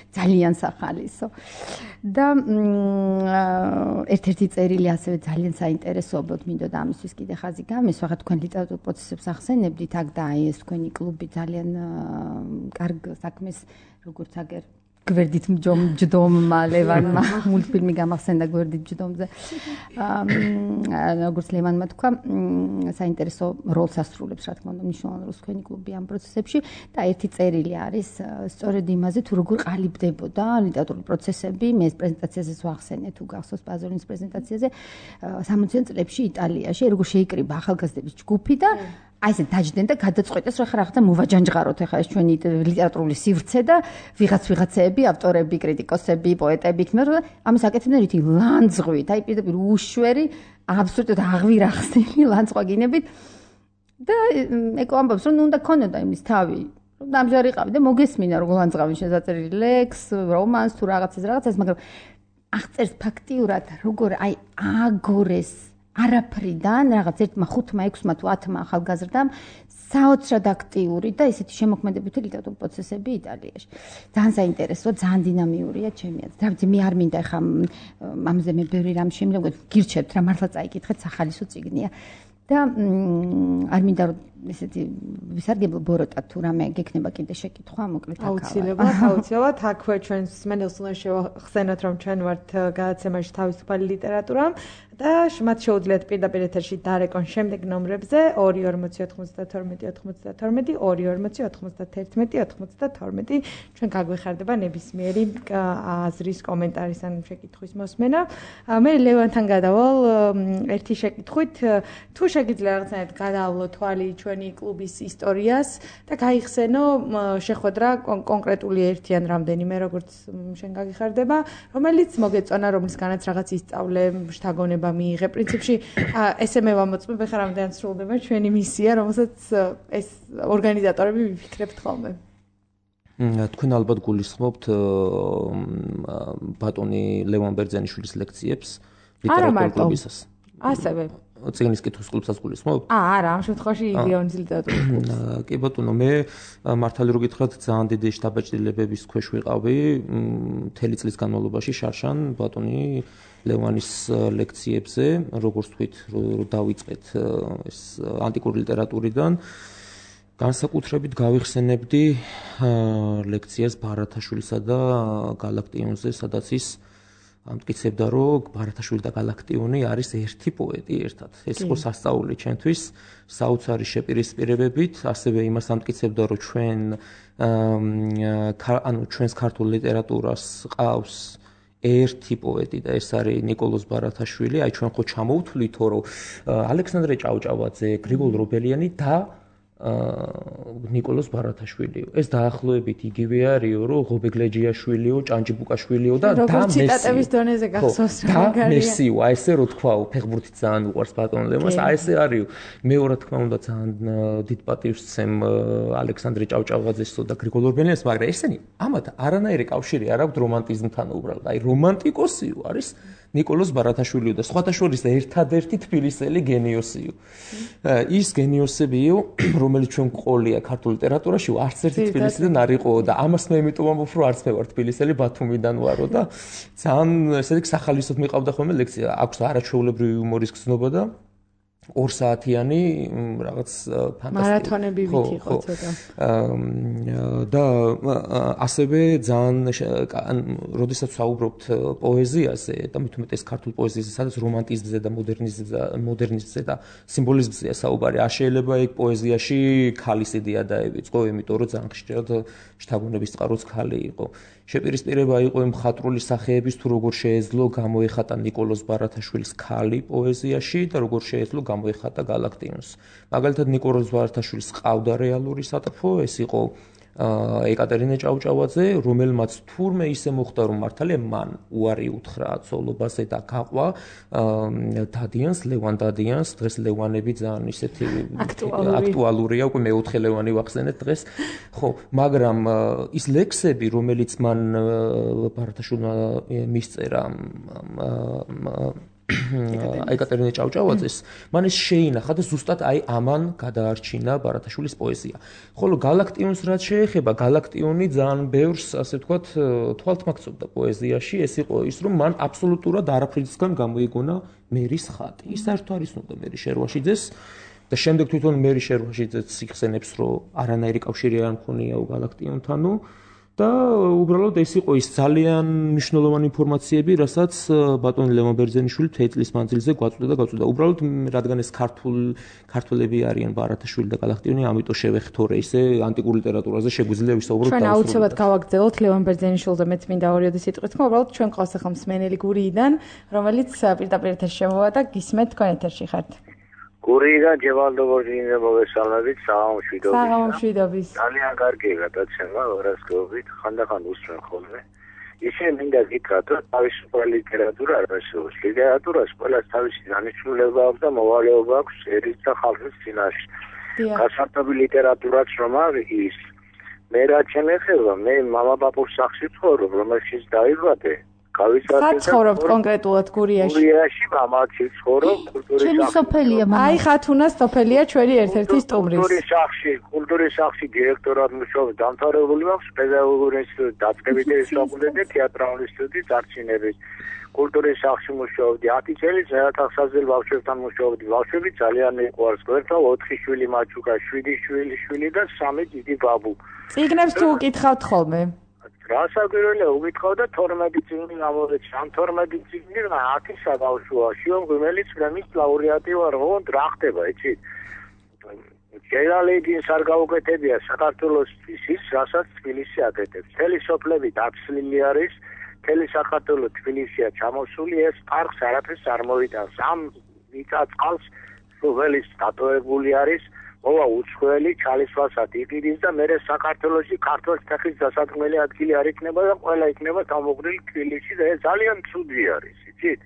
ძალიან სახალისო. და ერთ-ერთი წერილი ასევე ძალიან საინტერესოა, მინდოდა ამისთვის კიდე ხაზი გამესვა, ხა თქვენ ლიტერატურულ პროცესებს ახსენებდით, აქ და აი ეს თქვენი კლუბი ძალიან კარგ საქმეს, როგორც აგერ გვერდით ჯდომმა ლევანმა მულტფილმი გამახსენდა გვერდით ჯდომზე. როგორც ლევანმა თქვა, საინტერესო როლს ასრულებს, რა თქმა უნდა, მნიშვნელოვან როლს თქვენი კლუბი ამ პროცესებში და ერთი წერილი არის სწორედ იმაზე, თუ როგორ ყალიბდებოდა ლიტერატურული პროცესები, მე ეს პრეზენტაციაზეც ვახსენე, თუ გახსოვს პაზოლინის პრეზენტაციაზე 60-იან წლებში იტალიაში, როგორ შეიკრიბა ახალგაზრდების ჯგუფი და აი ესე დაჯდნენ და გადაწყვეტეს, რომ ხარ მოვაჯანჯღაროთ ახლა ეს ჩვენი ლიტერატურული სივრცე და ვიღაცეები, ავტორები, კრიტიკოსები, პოეტები იქნება, რომ ამას აკეთებდნენ რითი ლანძღვით, აი პირდაპირ უშვერი, აბსოლუტურად აღვირახსნილი ლანძღვაგინებით და ეკო ამბობს, რომ უნდა ქონოდა იმის თავი, რომ დამჯარი ყავი და მოგესმინა რომ ლანძღვავი შესაძლებელი ლექს, რომანს თუ რაღაცას, მაგრამ აღწერს ფაქტიურად, როგორ აი აგორეს არაფრიდან რაღაც ერთმა 5-6 თუ 10 ახალგაზრდამ საოცრად აქტიური და ისეთი შემოქმედებითი ლიტერატურული პროცესები იტალიაში. ძალიან საინტერესოა, ძალიან დინამიურია ჩემი აზრით. რა ვიცი, მე არ მინდა ხა ამაზე მე ბევრი რამ შემიძლია, გირჩევთ რა მართლა წაიკითხეთ, სახალისო წიგნია. და არ მინდა რომ ესეთი ვისარგებლო ბოროტად თუ რამე გექნება კიდე შეკითხვა, მოკლედ აუცილებლად აქვე ჩვენს მენელს უნდა შევახსენოთ, რომ ჩვენ ვართ გადაცემაში თავისუფალი ლიტერატურა და მათ შეუძლიათ პირდაპირ ეთერში დარეკონ შემდეგ ნომრებზე 24092 24091 ჩვენ გაგვეხარდება ნებისმიერი აზრის, კომენტარის ან შეკითხვის მოსმენა. მე ლევანთან გადავალ ერთი შეკითხვით, თუ შეგიძლია რაღაცნაირად გადაავლო თვალი ჩვენი კლუბის ისტორიას და გაიხსენო შეხვედრა კონკრეტული ერთი ან რამდენიმე, როგორც შენ გაგიხარდება, რომელიც მოგეწონა, რომლისგანაც რაღაც ისწავლე, შთაგონება მიიღე. პრინციპში ესე მე ვამოწმებ, ხა რამდენად სრულდება ჩვენი მისია, რომელსაც ეს ორგანიზატორები ვიფიქრებთ ხოლმე. თქვენ ალბათ გულისხმობთ ბატონი ლევან ბერძენიშვილის ლექციებს ლიტერატურულ კლუბისას. ასევე წიგნის კითხვის კლუბსაც გულისხმობთ? არა, ამ შემთხვევაში იდეონის ლიტერატურულ კლუბს. კი ბატონო, მე მართალი რო გითხრათ, ძალიან დიდი შთაბეჭდილებების ქვეშ ვიყავი მთელი წლის განმავლობაში შარშან ბატონი ლევანის ლექციებზე, როგორც თქვით, რომ დავიწყეთ ეს ანტიკური ლიტერატურიდან. განსაკუთრებით გავიხსენებდი ლექციას ბარათაშვილისა და გალაქტიონზე, სადაც ის ამტკიცებდა, რომ ბარათაშვილი და გალაქტიონი არის ერთი პოეტი ერთად. ეს იყო სასწაული ჩვენთვის, საოცარი შეპირისპირებებით, ასევე იმას ამტკიცებდა, რომ ჩვენს ქართულ ლიტერატურას ყავს ერთი პოეტი და ეს არის ნიკოლოზ ბარათაშვილი. აი ჩვენ ხო ჩამოვთვლითო, რომ ალექსანდრე ჭავჭავაძე, გრიგოლ რობელიანი და ნიკოლოზ ბარათაშვილიო. ეს დაახლოებით იგივე არისო, რომ ღობეგლეჯიაშვილიო, ჭანჭიბუკაშვილიო და მესი. ციტატების დონეზე გახსოვს რა მაგარია. მესიო, აი ესე რო თქვა, ფეხბურთი ძალიან უყვარს ბატონ ლევანს, აი ესე არისო. მეორე თქმა უნდა ძალიან დიდ პატივს ვცემ ალექსანდრე ჭავჭავაძესო და გრიგოლ ორბელიანს, მაგრამ ესენი ამათ არანაირი კავშირი არ აქვს რომანტიზმთან უბრალოდ. აი რომანტიკოსიო არის ნიკოლოზ ბარათაშვილიო და სხვათა შორის ერთადერთი თბილისელი გენიოსიო. ის გენიოსებიო, რომელიც ჩვენ ყოლია ქართულ ლიტერატურაში, არც ერთი თბილისიდან არ იყოო და ამას მე იმიტომ ვამბობ, რომ არც მე ვარ თბილისელი, ბათუმიდან ვარო და ძალიან ესე იგი სახალისოდ მიყავდა ხოლმე ლექცია. აქვს არაჩვეულებრივი იუმორის გზნობა და 2 საათიანი რაღაც ფანტასტიკური მარათონები ვით იყო ცოტა. და ასევე ძალიან როდესაც საუბრობთ პოეზიაზე და მით უმეტეს ქართულ პოეზიაზე, სადაც რომანტიზმზე და მოდერნიზმზე და სიმბოლიზმზეა საუბარი, არ შეიძლება ეგ პოეზიაში ქალის იდეა დაევიწყო, იმიტომ რომ ძალიან ხშირად შთაგონების წყაროც ქალი იყო. შეპირისპირება იყო იმ მხატვრული სახეების თუ როგორ შეეძლო გამოეხატა ნიკოლოზ ბარათაშვილის ქალი პოეზიაში და როგორ შეეძლო გამოეხატა გალაქტიონს. მაგალითად ნიკოლოზ ბარათაშვილის ყავდა რეალური სატრფო, ეს იყო ეკატერინე ჭავჭავაძე, რომელმაც თურმე ისე მოხდა, რომ მართალია მან უარი უთხრა ცოლობაზე და გაყვა დადიანს, ლევან დადიანს, დღეს ლევანები ძალიან ისეთი აქტუალურია, უკვე მეოთხე ლევანი ვახსენეთ დღეს. ხო, მაგრამ ის ლექსები, რომელიც მან ბარათაშვილმა მისწერა ეკატერინე ჭავჭავაძეს, მან ეს შეინახა და ზუსტად აი ამან გადაარჩინა ბარათაშვილის პოეზია. ხოლო გალაქტიონს რაც შეეხება, გალაქტიონი ძალიან ბევრს, ასე ვთქვათ, თვალთმაქცობდა პოეზიაში, ეს იყო ის, რომ მან აბსოლუტურად არაფრისგან გამოიგონა მერის ხატი. ის საერთოდ არ იცნობდა მერი შერვაშიძეს და შემდეგ თვითონ მერი შერვაშიძეც იხსენებს, რომ არანაირი კავშირი არ მქონიაო გალაქტიონთანო. და უბრალოდ ეს იყო ის ძალიან მნიშვნელოვანი ინფორმაციები, რასაც ბატონი ლევან ბერძენიშვილი თეატრის მანძილზე გვაწვდა. უბრალოდ რადგან ეს ქართველები არიან ბარათაშვილი და გალაქტიონი, ამიტომ შევეხთორე ისე ანტიკურ ლიტერატურაზე შეგვიძლია ვისაუბროთ. ჩვენ აუცილებლად გავაგრძელოთ ლევან ბერძენიშვილს და მეც მინდა ორიოდი სიტყვით, უბრალოდ ჩვენ ყავს ახლა მსმენელი გურიიდან, რომელიც პირდაპირ ეთერში შემოვა და გისმენთ თქვენ ეთერში ხართ. გურიიდან ჯევალდობორჯინე მოგესალმებით, საღამოშვიდობის. საღამოშვიდობის. ძალიან კარგი გადაცემა, ვერასდროებით, ხანდახან უსმენ ხოლმე. ისე მინდა გითხრათ, რომ თავისუფალი ლიტერატურა არ არსებობს. ლიტერატურას ყველას თავისი დანიშნულება აქვს და მოვალეობა აქვს ერის და ხალხის წინაშე. გასართობი ლიტერატურაც რომ არის, მე რაც შემეხება, მე მამა-პაპუს სახლში ვცხოვრობ, რომელშიც დაიბადე. სად ცხოვრობთ კონკრეტულად გურიაში? გურიაში მამაცი ცხოვრობ, კულტურის ჩემი სოფელია მამა. აი ხათუნას სოფელია ჩვენი ერთ-ერთი სტუმრის. კულტურის სახლში დირექტორად მუშაობ, დამთავრებული მაქვს პედაგოგიური ინსტიტუტი, დაწყებითი სწავლები და თეატრალური ინსტიტუტი წარჩინებით. კულტურის სახლში მუშაობდი 10 წელი, ზეათახსაზელ ბავშვებთან მუშაობდი. ბავშვები ძალიან მიყვარს. გვერდთაო 4 შვილი მაჩუკა, 7 შვილი და 3 დიდი ბაბუ. წიგნებს თუ უკითხავთ ხოლმე? რასაკვირველია უკითხავ და 12 წიგნი გამოვეცი. ამ 12 წიგნი 10 საბავშვოა. შიო რომელიც პრემიის ლაურეატი ვარ, ოღონდ რა ხდება, იცით? გენერალეჯის არ გაუკეთებია საქართველოს ის, რასაც თბილისი აკეთებს. მთელი სოფლები დაცლილი არის, მთელი საქართველო თბილისია ჩამოსული, ეს პარკს არაფერს არ მოიტანს. ამ მიწა-წყალს სოფლის დატოვებული არის. მოვა უცხოელი ჩალისვალსად იყიდის და მე საქართველოში ქართლის ფეხის დასადგმელი ადგილი არ იქნება და ყველა იქნება თავმოყრილი თბილისში და ეს ძალიან ცუდი არის, იცით?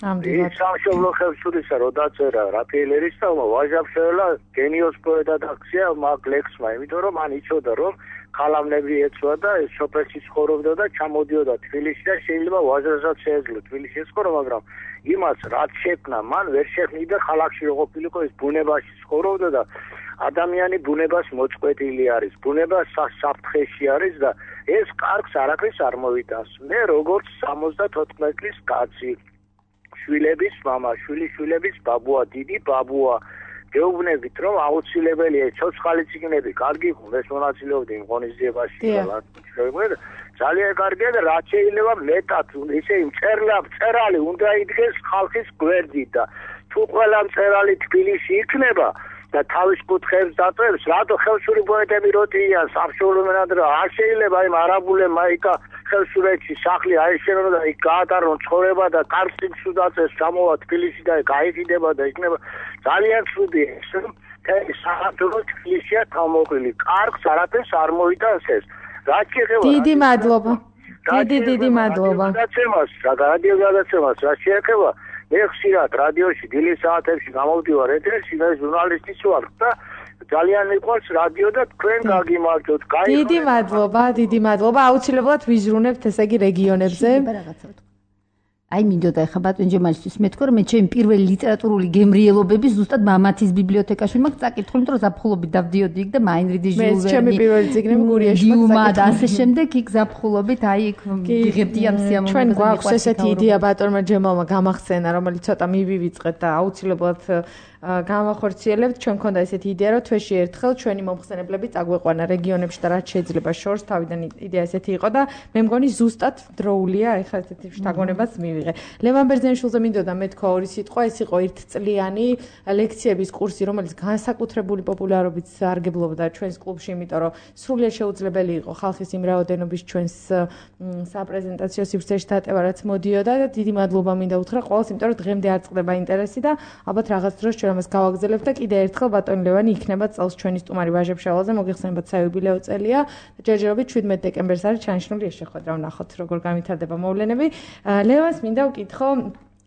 ის სამშობლო ხელშურისა რო დაწერა რაფაელერის და ვაჟაბშელა გენიოს პოეტად აქცია მაგ ლექსმა, იმიტომ რომ მან იცოდა რომ ხალამნები ეცვა და ეს სოფელში ცხოვრობდა და ჩამოდიოდა თბილისში და შეიძლება ვაჟასაც შეეძლო თბილისში ეცხოვრა, მაგრამ იმას რაც შექმნა მან ვერ შექმნიდა ხალხში რო ყოფილიყო, ეს ბუნებაში ცხოვრობდა და ადამიანი ბუნებას მოწყვეტილი არის, ბუნება საფრთხეში არის და ეს კარგს არაფერს არ მოიტანს. მე როგორც 74 წლის კაცი, შვილების მამა, შვილიშვილების ბაბუა, დიდი ბაბუა, გეუბნებით რომ აუცილებელია ცოცხალი წიგნები, კარგი ეს მონაწილეობდი იმ ღონისძიებაში და ძალიან კარგია და რაც შეიძლება მეტად ისე მწერალი უნდა იდგეს ხალხის გვერდით და თუ ყველა მწერალი თბილისში იქნება და თავის კუთხეებს დატოვებს, რატო ხელშური პოეტები როტიან სამშობლო მენადრე არ შეიძლება იმ არაბულებმა იქა ხელშურეთში სახლი აეშენონ და იქ გაატარონ ცხოვრება და კარგს უწაწეს ჩამოვა თბილისში და გაიყიდება და იქნება ძალიან ცუდია. საქართველოს თბილისია თავმოყრილი. კარგს არაფერს არ მოიტანს ეს. რაც შეეხება დიდი მადლობა. დიდი მადლობა. რადიო გადაცემას რაც შეეხება მე ხშირად რადიოში დილის საათებში გამოვდივარ ეთერში და ჟურნალისტიც ვარ და ძალიან მიყვარს რადიო და თქვენ გაგიმარჯოთ. დიდი მადლობა. აუცილებლად ვიზრუნებთ ესე იგი რეგიონებზე. აი მინდოდა ხა ბატონ ჯემალისთვის მეთქვა რომ მე ჩემი პირველი ლიტერატურული გემრიელობები ზუსტად მამათის ბიბლიოთეკაში მაქვს წაკითხული, იმიტომ რომ ზაფხულობით დავდიოდი იქ და მაინრიდი ჟიულ ვერნი. მე ჩემი პირველი წიგნები გურიაში მაქვს და ასე შემდეგ იქ ზაფხულობით აი იქ ვიღებდი ამ სიამოვნებას. ჩვენ გვაქვს ესეთი იდეა ბატონმა ჯემალმა გამახსენა, რომელიც ცოტა მივივიწყეთ და აუცილებლად გამახორციელებთ. ჩვენ მქონდა ესეთი იდეა, რომ თვეში ერთხელ ჩვენი მომხსენებლები წაგვეყვანა რეგიონებში და რაც შეიძლება შორს თავიდან იდეა ესეთი იყო და მე მგონი ზუსტად დროულია ეხლა ესეთი შთაგონებას მივიღე. ლევან ბერძენიშვილზე მინდოდა მეთქვა ორი სიტყვა, ეს იყო ერთწლიანი ლექციების კურსი, რომელიც განსაკუთრებული პოპულარობით სარგებლობდა ჩვენს კლუბში, იმიტომ რომ სრულიად შეუძლებელი იყო ხალხის იმ რაოდენობის ჩვენს საპრეზენტაციო სივრცეში დატევა, რაც მოდიოდა და დიდი მადლობა მინდა უთხრა ყველას, იმიტომ რომ დღემდე არ წყდება ინტერესი და ალბათ რაღაც დროს ჩვენ ამას გავაგზავნებთ და კიდე ერთხელ ბატონი ლევანი იქნება წელს ჩვენი სტუმარი ვაჟებ-შავალზე, მოგიხსენებათ საიუბილეო წელია. ჯერჯერობით 17 დეკემბერს არის ჩანიშნული ეს შეხვედრა, ვნახოთ როგორ განვითარდება მოვლენები. ლევანს მინდა ვკითხო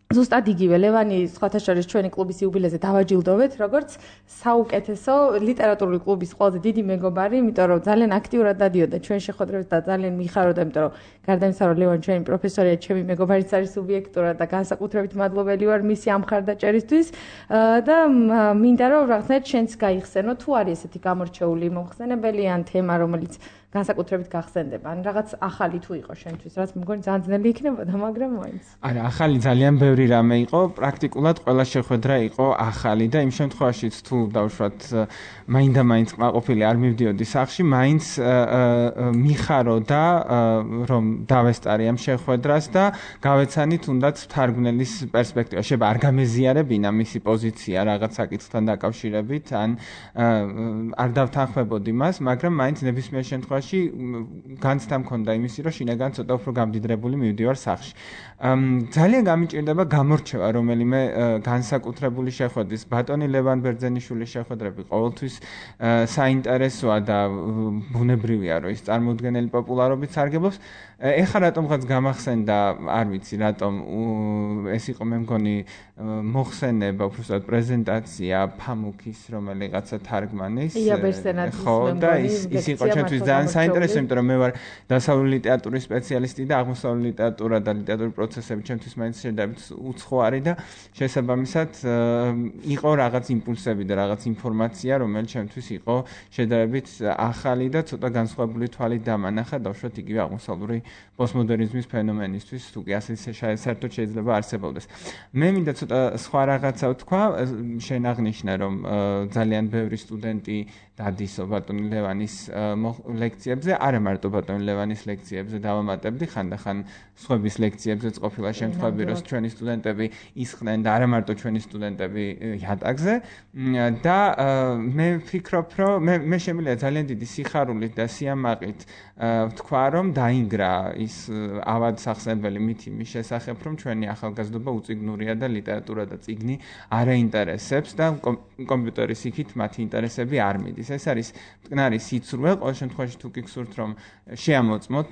ზუსტად იგივე ლევანი სხვათა შორის ჩვენი კლუბის იუბილეზე დავაჯილდოვეთ როგორც საუკეთესო ლიტერატურული კლუბის ყველაზე დიდი მეგობარი, იმიტომ რომ ძალიან აქტიურად დადიოდა ჩვენ შეხვედრებს და ძალიან მიხარობდა, იმიტომ რომ გარდა იმისა რომ ლევანი ჩვენი პროფესორია, ჩემი მეგობარიც არის სუბიექტურად და განსაკუთრებით მადლობელი ვარ მისი ამ მხარდაჭერისთვის და მინდა რომ რაღაცნაირად შენც გაიხსენო თუ არის ესეთი გამორჩეული მომხსენებელი ან თემა რომელიც განსაკუთრებით გახსენდება. ან რაღაც ახალი თუ იყო შენთვის, რაც მგონი ძალიან ძნელი იქნებოდა, მაგრამ მაინც. არა, ახალი ძალიან ბევრი რამე იყო, პრაქტიკულად ყველა შეხვედრა იყო ახალი და იმ შემთხვევაშიც თუ დავუშვათ მაინდა-მაინც კმაყოფილი არ მივდიოდი სახლში, მაინც მიხაროდა რომ დავესტარი ამ შეხვედრას და გავეცანი თუნდაც თარგმნელის პერსპექტივა. შეიძლება არ გამეზიარებინა მისი პოზიცია რაღაც საკითხთან დაკავშირებით, ან არ დავთანხმებოდი მას, მაგრამ მაინც ნებისმიერ შემთხვევაში განცდა მქონდა იმისი, რომ შინაგან ცოტა უფრო გამდიდრებული მივდივარ სახლში. ძალიან გამიჭირდება გამორჩევა რომელიმე განსაკუთრებული შეხვედრის. ბატონი ლევან ბერძენიშვილის შეხვედრები ყოველთვის საინტერესოა და ბუნებრივია, რომ ის წარმოუდგენელი პოპულარობით სარგებლობს. ეხლა რატომღაც გამახსენდა, არ ვიცი, რატომ ეს იყო მე მგონი მოხსენება, უბრალოდ პრეზენტაცია ფამუქის რომელიღაცა თარგმანის. ხო, და ის იყო ჩვენთვის ძალიან საინტერესო, იმიტომ რომ მე ვარ დასავლური ლიტერატურის სპეციალისტი და აღმოსავლური ლიტერატურა და ლიტერატურული პროცესები ჩვენთვის მაინც შედარებით უცხოარი და შესაბამისად იყო რაღაც იმპულსები და რაღაც ინფორმაცია, რომელიც ჩვენთვის იყო შედარებით ახალი და ცოტა განსხვავებული თვალით დამანახა, დავუშვათ იგივე აღმოსავლური პოსტმოდერნიზმის ფენომენისთვის, თუ კი ასე საერთოდ შეიძლება არსებობდეს. მე მინდა ცოტა სხვა რაღაცა ვთქვა, შენ აღნიშნე რომ ძალიან ბევრი სტუდენტი დადისო ბატონი ლევანის ლექციებზე, არა მარტო ბატონი ლევანის ლექციებზე დავამატებდი, ხანდახან სხვების ლექციებზეც ყოფილა შემთხვევები, რომ ჩვენი სტუდენტები ისხდნენ და არა მარტო ჩვენი სტუდენტები იატაკზე და მე ვფიქრობ, რომ მე შემიძლია ძალიან დიდი სიხარულით და სიამაყით ვთქვა, რომ დაინგრა ის ავადსახსენებელი მითი მის შესახებ, რომ ჩვენი ახალგაზრდობა უწიგნურია და ლიტერატურა და წიგნი არ აინტერესებს და კომპიუტერის იქით მათი ინტერესები არ მიდის. ეს არის მტკნარი სიცრუე, ყოველ შემთხვევაში თუ გიქსურთ რომ შეამოწმოთ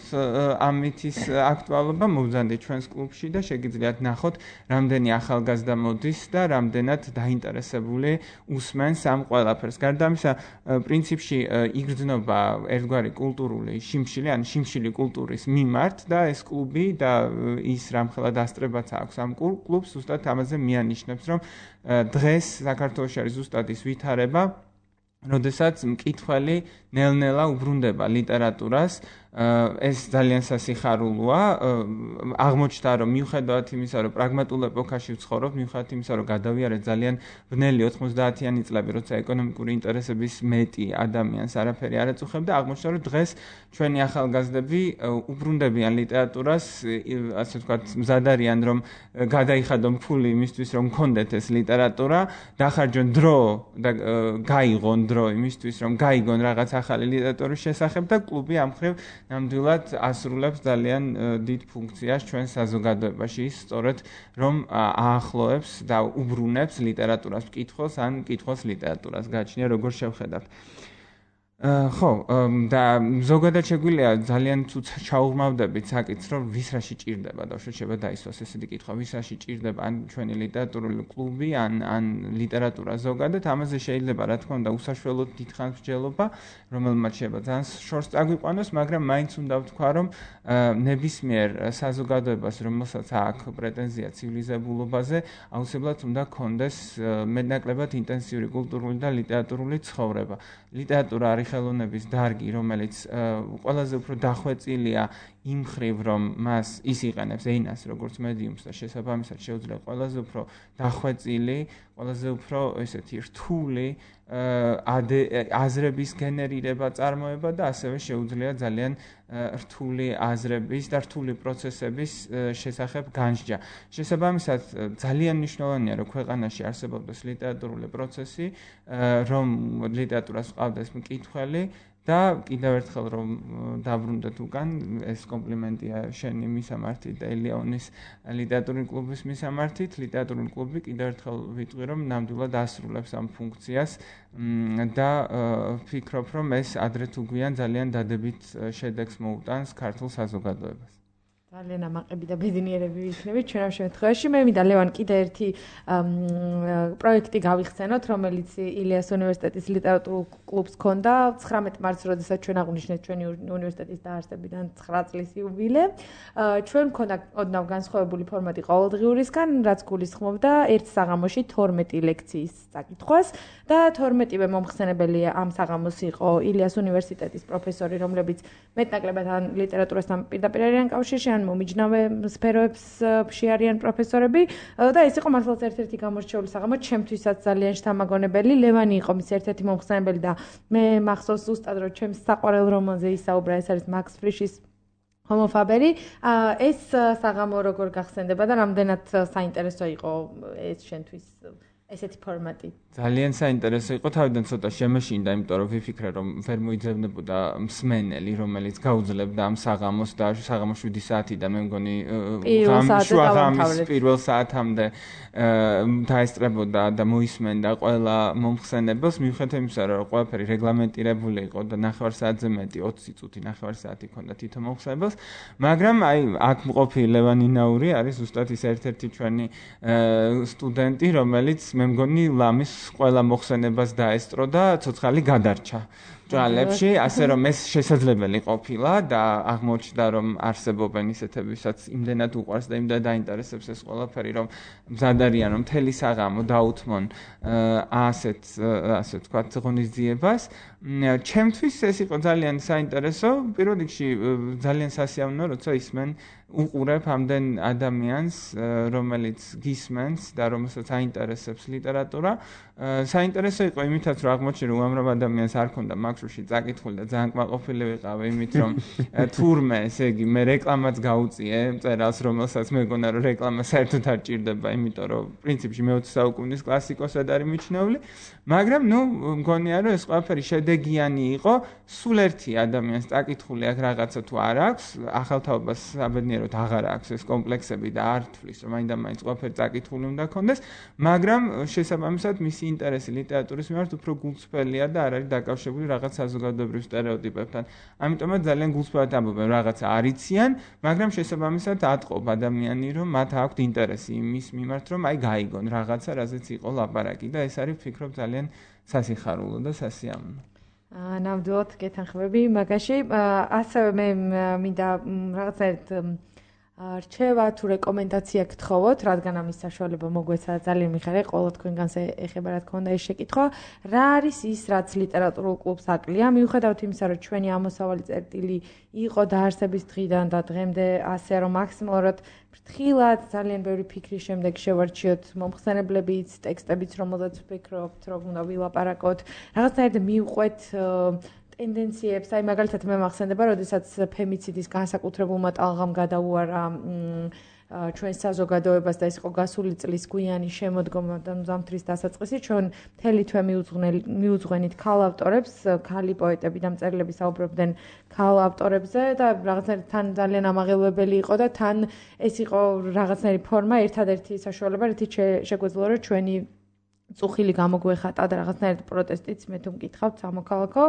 ამ მითის აქტუალობა, მოვზანდეთ ჩვენს კლუბში და შეგიძლიათ ნახოთ რამდენი ახალგაზრდა მოდის და რამდენად დაინტერესებული უსმენს ამ ყველაფერს. გარდა ამისა, პრინციპში იგრძნობა ერთგვარი კულტურული შიმშილი, ან შიმშილი კულტურის მიმართ და ეს კლუბი და ის რამხელა დასწრებაც აქვს ამ კლუბს, ზუსტად ამაზე მიანიშნებს, რომ დღეს საქართველოში არის ზუსტად ის ვითარება, როდესაც მკითხველი ნელ-ნელა უბრუნდება ლიტერატურას, ეს ძალიან სასიხარულოა, აღმოჩნდა რომ მიუხედავად იმისა, რომ პრაგმატულ ეპოქაში ვცხოვრობ, მიუხედავად იმისა, რომ გადავიარეთ ძალიან ბნელი 90-იანი წლები, როცა ეკონომიკური ინტერესების მეტი ადამიანს არაფერი არ ეწუხებდა, აღმოჩნდა რომ დღეს ჩვენი ახალგაზრდები უბრუნდებიან ლიტერატურას, ასე ვთქვათ, მზად არიან რომ გადაიხადონ ფული იმისთვის, რომ მქონდეთ ეს ლიტერატურა, დახარჯონ დრო და გაიღონ დრო იმისთვის, რომ გაიგონ რაღაც ახალი ლიტერატურის შესახებ და კლუბი ამ მხრივ ნამდვილად ასრულებს ძალიან დიდ ფუნქციას ჩვენ საზოგადოებაში, ის სწორედ რომ აახლოებს და უბრუნებს ლიტერატურას მკითხველს ან მკითხველს ლიტერატურას. გააჩნია როგორ შევხედავთ. ხო, და ზოგადად შეგვიძლია ძალიან თუ ჩაუღმავდებით საკითხს, რომ ვის რაში ჭირდება და შეიძლება დაისვას ესეთი კითხვა, ვის რაში ჭირდება ან ჩვენი ლიტერატურული კლუბი, ან ლიტერატურა ზოგადად, ამაზე შეიძლება რა თქმა უნდა უსაშველოდ დიდხანს მსჯელობა, რომელმაც შეიძლება ძალიან შორს წაგვიყვანოს, მაგრამ მაინც უნდა ვთქვა, რომ ნებისმიერ საზოგადოებას, რომელსაც აქვს პრეტენზია ცივილიზებულობაზე, აუცილებლად უნდა ქონდეს მეტნაკლებად ინტენსიური კულტურული და ლიტერატურული ცხოვრება. ლიტერატურა არის ხელოვნების დარგი, რომელიც ყველაზე უფრო დახვეწილია იმ მხრივ, რომ ის იყენებს ენას როგორც მედიუმს და შესაბამისად შეუძლია ყველაზე უფრო დახვეწილი, ყველაზე უფრო ესეთი რთული აზრების გენერირება, წარმოება და ასევე შეუძლია ძალიან რთული აზრების და რთული პროცესების შესახებ განსჯა. შესაბამისად ძალიან მნიშვნელოვანია, რომ ქვეყანაში არსებობდეს ლიტერატურული პროცესი, რომ ლიტერატურას ყავდეს მკითხველი და კიდევ ერთხელ რომ დაბრუნდეთ უკან, ეს კომპლიმენტია შენი მისამართით და ელეონის ლიტერატურული კლუბის მისამართით, ლიტერატურული კლუბი კიდევ ერთხელ ვიტყვი, რომ ნამდვილად ასრულებს ამ ფუნქციას და ვფიქრობ, რომ ეს ადრე თუ გვიან ძალიან დადებით შედეგს მოუტანს ქართულ საზოგადოებას. ძალიან ამაყები და ბედნიერები ვიქნებით ჩვენ ამ შემთხვევაში. მე მინდა ლევან კიდე ერთი პროექტი გავიხსენოთ, რომელიც ილიას უნივერსიტეტის ლიტერატურულ კლუბს ჰქონდა 19 მარტს, როდესაც ჩვენ აღვნიშნეთ ჩვენი უნივერსიტეტის დაარსებიდან 9 წლის იუბილე. ჩვენ ჰქონდა ოდნავ განსხვავებული ფორმატი ყოველდღიურისგან, რაც გულისხმობდა ერთ საღამოში 12 ლექციის წაკითხვას და 12-ვე მომხსენებელი ამ საღამოს იყო ილიას უნივერსიტეტის პროფესორი, რომლებიც მეტნაკლებად ან ლიტერატურასთან პირდაპირ არიან კავშირში, ან მომიჯნავე სფეროებს არიან პროფესორები და ეს იყო მართლაც ერთ-ერთი გამორჩეული საღამო, ჩემთვისაც ძალიან შთამაგონებელი. ლევანი იყო მის ერთ-ერთი მომხსენებელი და მე მახსოვს ზუსტად, რომ ჩემს საყვარელ რომანზე ისაუბრა, ეს არის მაქს ფრიშის ჰომო ფაბერი. ეს საღამო როგორ გახსენდება და რამდენად საინტერესო იყო ეს შენთვის ესეთი ფორმატი? ძალიან საინტერესო იყო, თავიდან ცოტა შემეშინდა, იმიტომ რომ ვიფიქრე, რომ ვერ მოიძებნებოდა მსმენელი, რომელიც გაუძლებდა ამ საღამოს და საღამოს 7 საათი და მე მგონი შუა ღამის პირველ საათამდე დაესწრებოდა და მოისმენდა ყველა მომხსენებელს, მიუხედავად იმისა, რომ ყველაფერი რეგლამენტირებული იყო და 9 საათზე მეტი 20 წუთი 9 საათი ჰქონდა თითო მომხსენებელს, მაგრამ აი აქ მყოფი ლევან ინაური არის ზუსტად ის ერთ-ერთი ჩვენი სტუდენტი, რომელიც მე მგონი ლამის ყველა მოხსენებას დაესწრო და ცოცხალი გადარჩა ჭრალებში, ასე რომ ეს შესაძლებელი ყოფილა და აღმოჩნდა, რომ არსებობენ ისეთებისაც იმდენად უყვარს და იმდენად დაინტერესებს ეს ყველაფერი, რომ მზად არიან, რომ მთელი საღამო დაუთმონ ასე ვთქვათ, ღონისძიებას. ჩემთვის ეს იყო ძალიან საინტერესო, პირველ რიგში ძალიან სასიამოვნო, როცა ისმენ უყურებ ამდენ ადამიანს, რომელიც გისმენს და რომელსაც აინტერესებს ლიტერატურა. საინტერესო იყო იმითაც, რომ აღმოჩნდა, რომ უამრავ ადამიანს არ ქონდა მაქსში წაკითხული და ძალიან კმაყოფილი ვიყავი იმით, რომ თურმე, ესე იგი, მე რეკლამაც გაუწიე მწერალს, რომელსაც მეგონა, რომ რეკლამა საერთოდ არ ჭირდება, იმიტომ რომ პრინციპში მე-20 საუკუნის კლასიკოსად არის მიჩნეული, მაგრამ მგონია, რომ ეს ყველაფერი შედეგიანი იყო, სულ ერთი ადამიანს წაკითხული აქ რაღაცა თუ არ აქვს, ახალთაობას საბედნიეროდ აღარ აქვს ეს კომპლექსები და არ თვლის, რომ მაინდა-მაინც ყველაფერი წაკითხული უნდა ქონდეს, მაგრამ შესაბამისად მისი ინტერესი ლიტერატურის მიმართ უფრო გულწრფელია და არ არის დაკავშირებული რაღაც საზოგადოებრივ სტერეოტიპებთან. ამიტომაც ძალიან გულწრფელად ამბობენ, რაღაცა არიციან, მაგრამ შესაბამისად ატყობ ადამიანი, რომ მათ აქვთ ინტერესი იმის მიმართ, რომ აი გაიგონ რაღაცა, რაზეც იყო ლაპარაკი და ეს არის ვფიქრობ ძალიან სასიხარულო და სასიამოვნო. ნამდვილად გეთანხმები მაგაში. ასევე მე მინდა რაღაცნაირად რჩევა თუ რეკომენდაცია გთხოვოთ, რადგან ამის საშუალება მოგვეცა ძალიან მიხარია, ყველა თქვენგანს ეხება რა თქმა უნდა ეს შეკითხვა. რა არის ის, რაც ლიტერატურულ კლუბს აკლია, მიუხედავად იმისა, რომ ჩვენი ამოსავალი წერტილი იყო დაარსების დღიდან და დღემდე ასე, რომ მაქსიმალურად ფრთხილად ძალიან ბევრი ფიქრის შემდეგ შევარჩიოთ მომხსენებლებიც, ტექსტებიც, რომელზეც ვფიქრობთ, რომ უნდა ვილაპარაკოთ, რაღაცნაირად მივყვეთ ტენდენციებს, აი მაგალითად მე მახსენდება, როდესაც ფემიციდის განსაკუთრებულმა ტალღამ გადაუარა ჩვენ საზოგადოებას და ეს იყო გასული წლის გვიანი შემოდგომა და ზამთრის დასაწყისი, ჩვენ მთელი თვე მიუძღვენით ქალ ავტორებს, ქალი პოეტები და მწერლები საუბრობდნენ ქალ ავტორებზე და რაღაცნაირად თან ძალიან ამაღელვებელი იყო და თან ეს იყო რაღაცნაირი ფორმა, ერთადერთი საშუალება, რითიც შეგვეძლო რომ ჩვენი წუხილი გამოგვეხატა და რაღაცნაირად პროტესტიც მე თუ მკითხავთ სამოქალაქო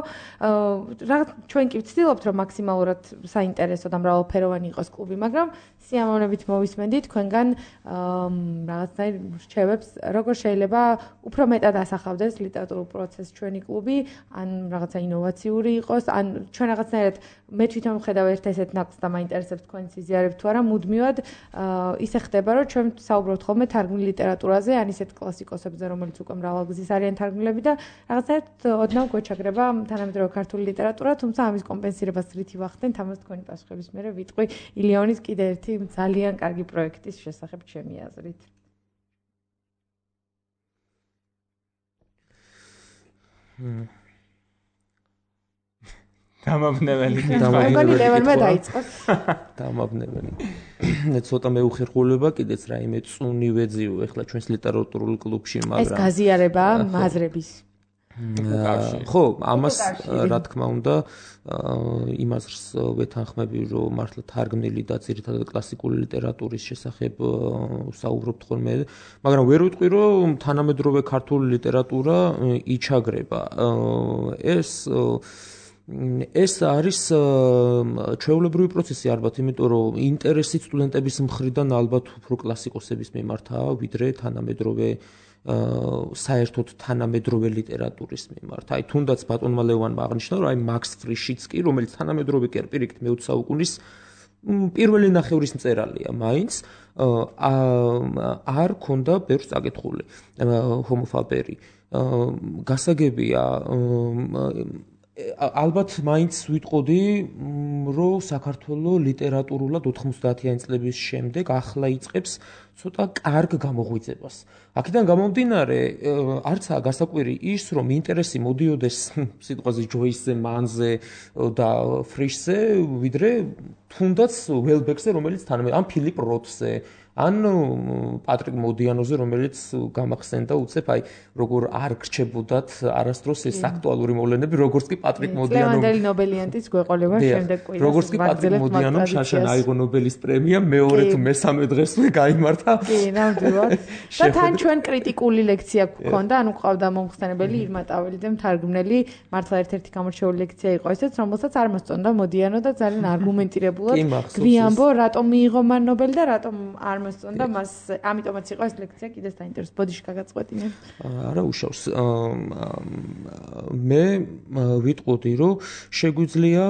რაღაც ჩვენ კი ვცდილობთ რომ მაქსიმალურად საინტერესო და მრავალფეროვანი იყოს კლუბი, მაგრამ სიამოვნებით მოვისმენთ თქვენგან რაღაცნაირ რჩევებს, როგორ შეიძლება უფრო მეტად ასახავდეს ლიტერატურულ პროცესს ჩვენი კლუბი, ან რაღაცა ინოვაციური იყოს, ან ჩვენ რაღაცნაირად მე თვითონ ვხედავ ერთ-ერთ ნაკს და მაინტერესებს თქვენი სიზიარები თუ არა, მუდმივად ისე ხდება, რომ ჩვენ საუბრობთ ხოლმე თარგმნილ ლიტერატურაზე, ან ისეთ კლასიკოსებზე, რომელიც უკვე მრავალგზის არიან თარგმნილები და რაღაცნაირად ოდნავ გვეჩაგრება თანამედროვე ქართული ლიტერატურა, თუმცა ამის კომპენსირებას რითი ვახდენთ, ამას თქვენი პასუხების მერე ვიტყვი ილიონის კიდე ერთი ძალიან კარგი პროექტის შესახებ ჩემი აზრით. დამაბნეველი დაიწყოს. დამაბნეველი. ცოტა მეუხერხულება კიდეც რაიმე წუნი ვეძიო ახლა ჩვენს ლიტერატურულ კლუბში, მაგრამ ეს გაზიარება მაზრების. ხო, ამას რა თქმა უნდა იმას ვეთანხმები, რომ მართლა თარგმნილი და ძირითადად კლასიკური ლიტერატურის შესახებ საუბრობთ ხოლმე, მაგრამ ვერ ვიტყვი, რომ თანამედროვე ქართული ლიტერატურა იჩაგრება. ეს არის ჩვეულებრივი პროცესი ალბათ, იმიტომ რომ ინტერესი სტუდენტების მხრიდან ალბათ უფრო კლასიკოსების მიმართაა, ვიდრე თანამედროვე საერთოდ თანამედროვე ლიტერატურის მიმართ. აი თუნდაც ბატონმა ლევანმა აღნიშნა, რომ აი მაქს ფრიშიცკი, რომელიც თანამედროვე კი არ პირიქით მე-20 საუკუნის პირველი ნახევრის მწერალია, მაინც არ ქონდა ბევრს წაკითხული ჰომოფაბერი. გასაგებია ალბათ მაინც ვიტყოდი, რომ საქართველოს ლიტერატურულად 90-იანი წლების შემდეგ ახლა იწყებს ცოტა კარგ გამოღვიძებას. აქედან გამომდინარე, არცაა გასაკვირი ის, რომ ინტერესი მოდიოდეს სიტყვაზე ჯოისზე, მანზე და ფრიშზე, ვიდრე თუნდაც ველბეკზე, რომელიც ან ფილიპ როთზე, ან პატრიკ მოდიანოზე, რომელიც გამახსენდა უცებ, აი როგორ არ გრჩებოდათ არასდროს ეს აქტუალური მოვლენები, როგორც კი პატრიკ მოდიანო. ლევანდელი ნობელიანტის გვეყოლება შემდეგ კვირას. როგორც კი პატრიკ მოდიანომ შაშან აიღო ნობელის პრემია, მეორე თუ მესამე დღესვე გაიმართა. კი, ნამდვილად. და თან ჩვენ კრიტიკული ლექცია გვქონდა, ანუ ყავდა მომხსენებელი ირმა ტაველიძე მთარგმნელი, მართლა ერთ-ერთი გამორჩეული ლექცია იყო ესეც, რომელსაც არ მოსწონდა მოდიანო და ძალიან არგუმენტირებულად გვიამბო, რატომ მიიღო მან ნობელი და რატომ არ მოსწონდა მას, ამიტომაც იყო ეს ლექცია კიდეც დაინტერესებს. ბოდიში გაგაწყვეტინე. არა უშავს. მე ვიტყოდი, რომ შეგვიძლია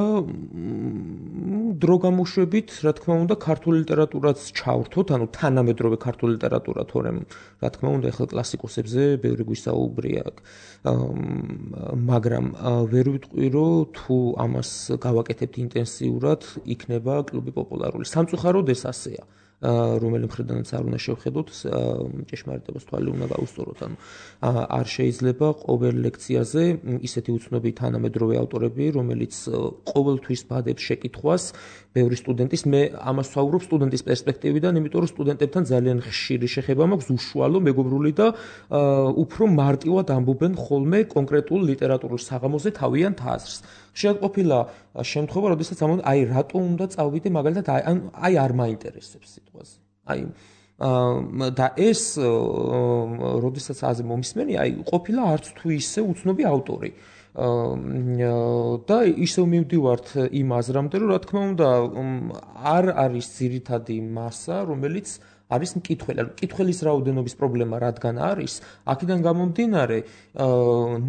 დრო გამოშვებით, რა თქმა უნდა, ქართული ლიტერატურაც ჩავრთოთ, ანუ თანამედროვე ქართული ლიტერატურა, თორემ რა თქმა უნდა, ახლა კლასიკოსებზე ბევრი გვისაუბრია. მაგრამ ვერ ვიტყვი, რომ თუ ამას გავაკეთებთ ინტენსიურად, იქნება კლუბი პოპულარული. სამწუხაროდ ეს ასეა. რომელი მხრიდანაც არ უნდა შევხედოთ, ჭეშმარიტებას თვალი უნდა გაუსწოროთ. ანუ არ შეიძლება ყოველ ლექციაზე ისეთი უცნობი თანამედროვე ავტორები, რომელიც ყოველთვის ბადებს შეკითხვას ბევრი სტუდენტის, მე ამას ვსაუბრობ სტუდენტის პერსპექტივიდან, იმიტომ რომ სტუდენტებთან ძალიან ხშირი შეხება მაქვს, უშუალო, მეგობრული და უფრო მარტივად ამბობენ ხოლმე კონკრეტულ ლიტერატურულ საღამოზე თავიანთ აზრს. ხშირად ყოფილა შემთხვევა, როდესაც ამბობენ, აი რატო უნდა წავიდე მაგალითად, აი არ მაინტერესებს სიტყვაზე. აი და ეს როდესაც აზე მომისმენი, აი ყოფილა არც თუ ისე უცნობი ავტორი. და ისევ მივდივართ იმ აზრამდე, რომ რა თქმა უნდა არ არის ძირითადი მასა, რომელიც არის მკითხველი. ანუ მკითხველის რაოდენობის პრობლემა რადგან არის, აქედან გამომდინარე,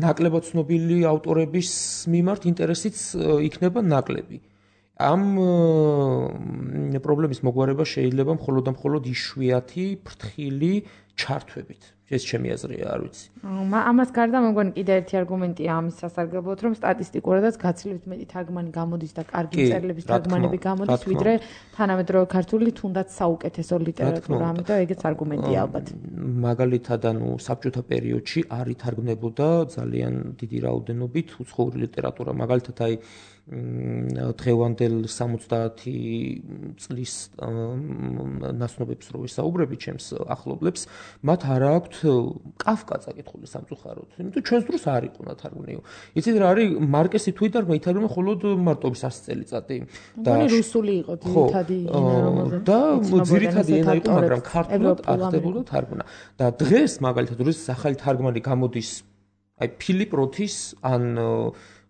ნაკლებად ცნობილი ავტორების მიმართ ინტერესიც იქნება ნაკლები. ამ პრობლემის მოგვარება შეიძლება მხოლოდ და მხოლოდ იშვიათი ფრთხილი ჩართვებით. ეს ჩემი აზრია, არ ვიცი. ამას გარდა მე მგონი კიდე ერთი არგუმენტია ამის სასარგებლოდ, რომ სტატისტიკურადაც გაცილებით მეტი თარგმანი გამოდის და კარგი მწერლების თარგმანები გამოდის, ვიდრე თანამედროვე ქართული თუნდაც საუკეთესო ლიტერატურა, ამიტომ ეგეც არგუმენტია ალბათ. მაგალითად, საბჭოთა პერიოდში არ ითარგმნებოდა ძალიან დიდი რაოდენობით უცხოური ლიტერატურა, მაგალითად აი დღევანდელ 70 წლის ნაცნობებს რო ვისაუბრები ჩემს ახლობლებს, მათ არ აქვთ კაფკა წაკითხული სამწუხაროდ, იმიტომ ჩვენს დროს არ იყო ნათარგმნიო. იცით რა არის მარკესი თუ ითარგმნა მხოლოდ მარტოობის 100 წელიწადი და რუსული იყო ძირითადი ენა, რომელზეც და ძირითადი ენა იყო, მაგრამ ქართულად აღდებოდა თარგმნა. და დღეს მაგალითად რუსეთის ახალი თარგმანი გამოდის აი ფილიპ როთის ან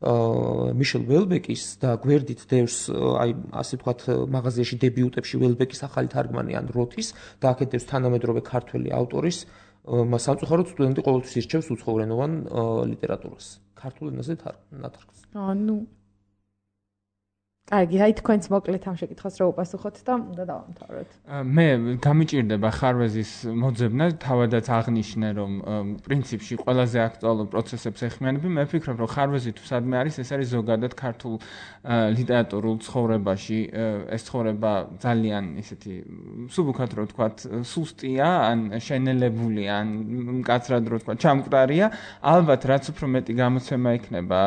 მიშელ ველბეკის და გვერდით დევს აი ასე ვთქვათ მაღაზიაში დებიუტებში ველბეკის ახალი თარგმანი ან როთის და აქეთ დევს თანამედროვე ქართველი ავტორის სამწუხაროდ სტუდენტი ყოველთვის ირჩევს უცხოურენოვან ლიტერატურას ქართულ ენაზე ნათარგმნს. კარგი, აი თქვენც მოკლედ ამ შეკითხვას რა უპასუხოთ და უნდა დავამთავროთ. მე გამიჭირდება ხარვეზის მოძებნა, თავადაც აღნიშნე, რომ პრინციპში ყველაზე აქტუალურ პროცესებს ეხმიანები. მე ვფიქრობ, რომ ხარვეზი თუ სადმე არის, ეს არის ზოგადად ქართულ ლიტერატურულ ცხოვრებაში, ეს ცხოვრება ძალიან ისეთი მსუბუქად რო ვთქვათ, სუსტია, ან შენელებული, ან მკაცრად რო ვთქვათ, ჩამკვდარია. ალბათ რაც უფრო მეტი გამოცემა იქნება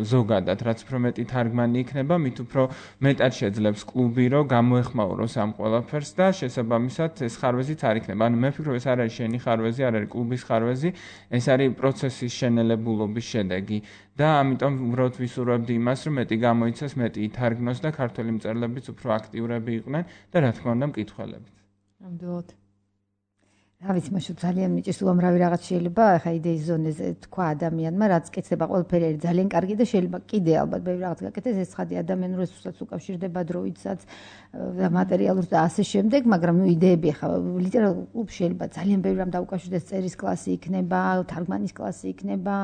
ზოგადად, რაც უფრო მეტი თარგმანი იქნება, მით უფრო მეტად შეძლებს კლუბი, რომ გამოეხმაუროს ამ ყველაფერს და შესაბამისად ეს ხარვეზიც არ იქნება. ანუ მე ვფიქრობ, ეს არ არის შენი ხარვეზი, არ არის კლუბის ხარვეზი, ეს არის პროცესის შენელებულობის შედეგი და ამიტომ უბრალოდ ვისურვებდი იმას, რომ მეტი გამოიცეს, მეტი ითარგმნოს და ქართველი მწერლებიც უფრო აქტიურები იყვნენ და რა თქმა უნდა მკითხველებიც. ნამდვილად. რა ვიცი, მაშინ ძალიან მიჭირს უამრავი რაღაც შეიძლება ახლა იდეის ზონეზე თქვა ადამიანმა, რაც კეთდება ყველაფერი არის ძალიან კარგი და შეიძლება კიდე ალბათ ბევრი რაღაც გაკეთდეს, ეს ცხადი ადამიანურ რესურსაც უკავშირდება დროითაც და მატერიალურს და ასე შემდეგ, მაგრამ ნუ იდეები ახლა ლიტერატურულ კლუბში შეიძლება ძალიან ბევრი რამ დაუკავშირდეს, წერის კლასი იქნება, თარგმანის კლასი იქნება,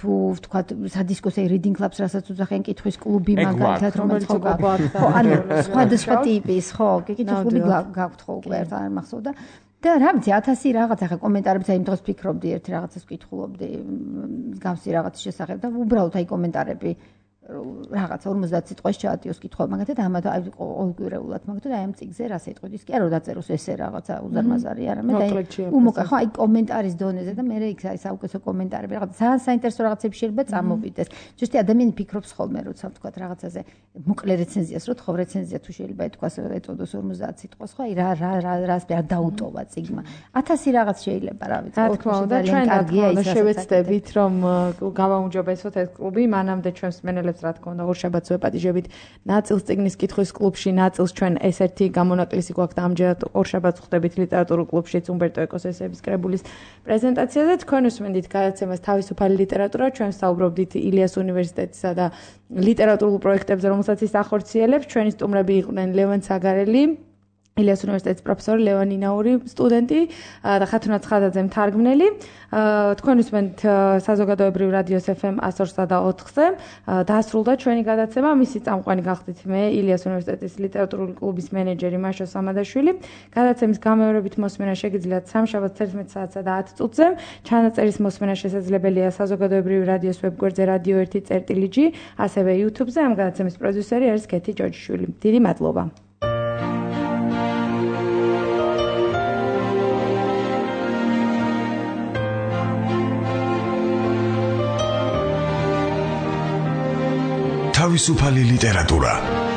თუ ვთქვათ სადისკოსე reading clubs, რასაც უძახიან, კითხვის კლუბი მაგალითად, რომელიც ხო ანუ სხვადასხვა ტიპის, ხო, კითხვის კლუბი გაქვთ ხო უკვე ერთ არ მახსოვდა. და რა ვიცი 1000 რაღაც ახლა კომენტარებს აი იმ დროს ფიქრობდი ერთ რაღაცას ვკითხულობდი მსგავსი რაღაცის შესახებ და უბრალოდ აი კომენტარები რაღაცა 50 სიტყვას ჩაატიოს კითხვა მაგათად ამათ აი ყოველკვირეულად მაგათად აი ამ წიგზე რა სიტყვით ის კი არა დაწეროს ესე რაღაცა უზარმაზარი არამედ აი უმოკა ხო აი კომენტარის დონეზე და მე იქ აი საუკეთესო კომენტარები რაღაცა ძალიან საინტერესო რაღაცები შეიძლება წამოვიდეს ზუსტი ადამიანი ფიქრობს ხოლმე როცა ვთქვათ რაღაცაზე მოკლე რეცენზიას რო თხოვ რეცენზია თუ შეიძლება ეთქვას ეტოდოს 50 სიტყვას ხო აი რას დაუტოვა წიგმა 1000 რაღაც შეიძლება რა ვიცი რა თქმა უნდა ჩვენ კარგია ის შევეცდებით რომ გავაუმჯობესოთ ეს კლუბი მანამდე ჩვენს მენელებს რა თქმა უნდა ორშაბათს ვეპატიჟებით ნაწილს წიგნის კითხვის კლუბში ნაწილს ჩვენ ეს-ერთი გამონაკლისი გვაქვს და ამჯერად ორშაბათს ხვდებით ლიტერატურულ კლუბშიც უმბერტო ეკოს ესეების კრებულის პრეზენტაციაზე თქვენ უსმენდით გადაცემას თავისუფალი ლიტერატურა ჩვენ საუბრობდით ილიას უნივერსიტეტისა და ლიტერატურულ პროექტებზე რომელსაც ის ახორციელებს ჩვენი სტუმრები იყვნენ ლევან ცაგარელი ილიას უნივერსიტეტის პროფესორი ლევან ინაური სტუდენტი და ხათუნა ცხადაძე მთარგმნელი თქვენ უსმენთ საზოგადოებრივ რადიოს FM 102 და 4-ზე დაასრულდა ჩვენი გადაცემა მისი წამყვანი გახდით მე ილიას უნივერსიტეტის ლიტერატურული კლუბის მენეჯერი მაშა სამადაშვილი გადაცემის გამეორებით მოსმენა შეგიძლიათ სამშაბათს 11 საათსა და 10 წუთზე ჩანაწერის მოსმენა შესაძლებელია საზოგადოებრივ რადიოს ვებგვერდზე radio 1.g ასევე YouTube-ზე ამ გადაცემის პროდიუსერი არის კეთი ჯოჯიშვილი დიდი მადლობა თავისუფალი ლიტერატურა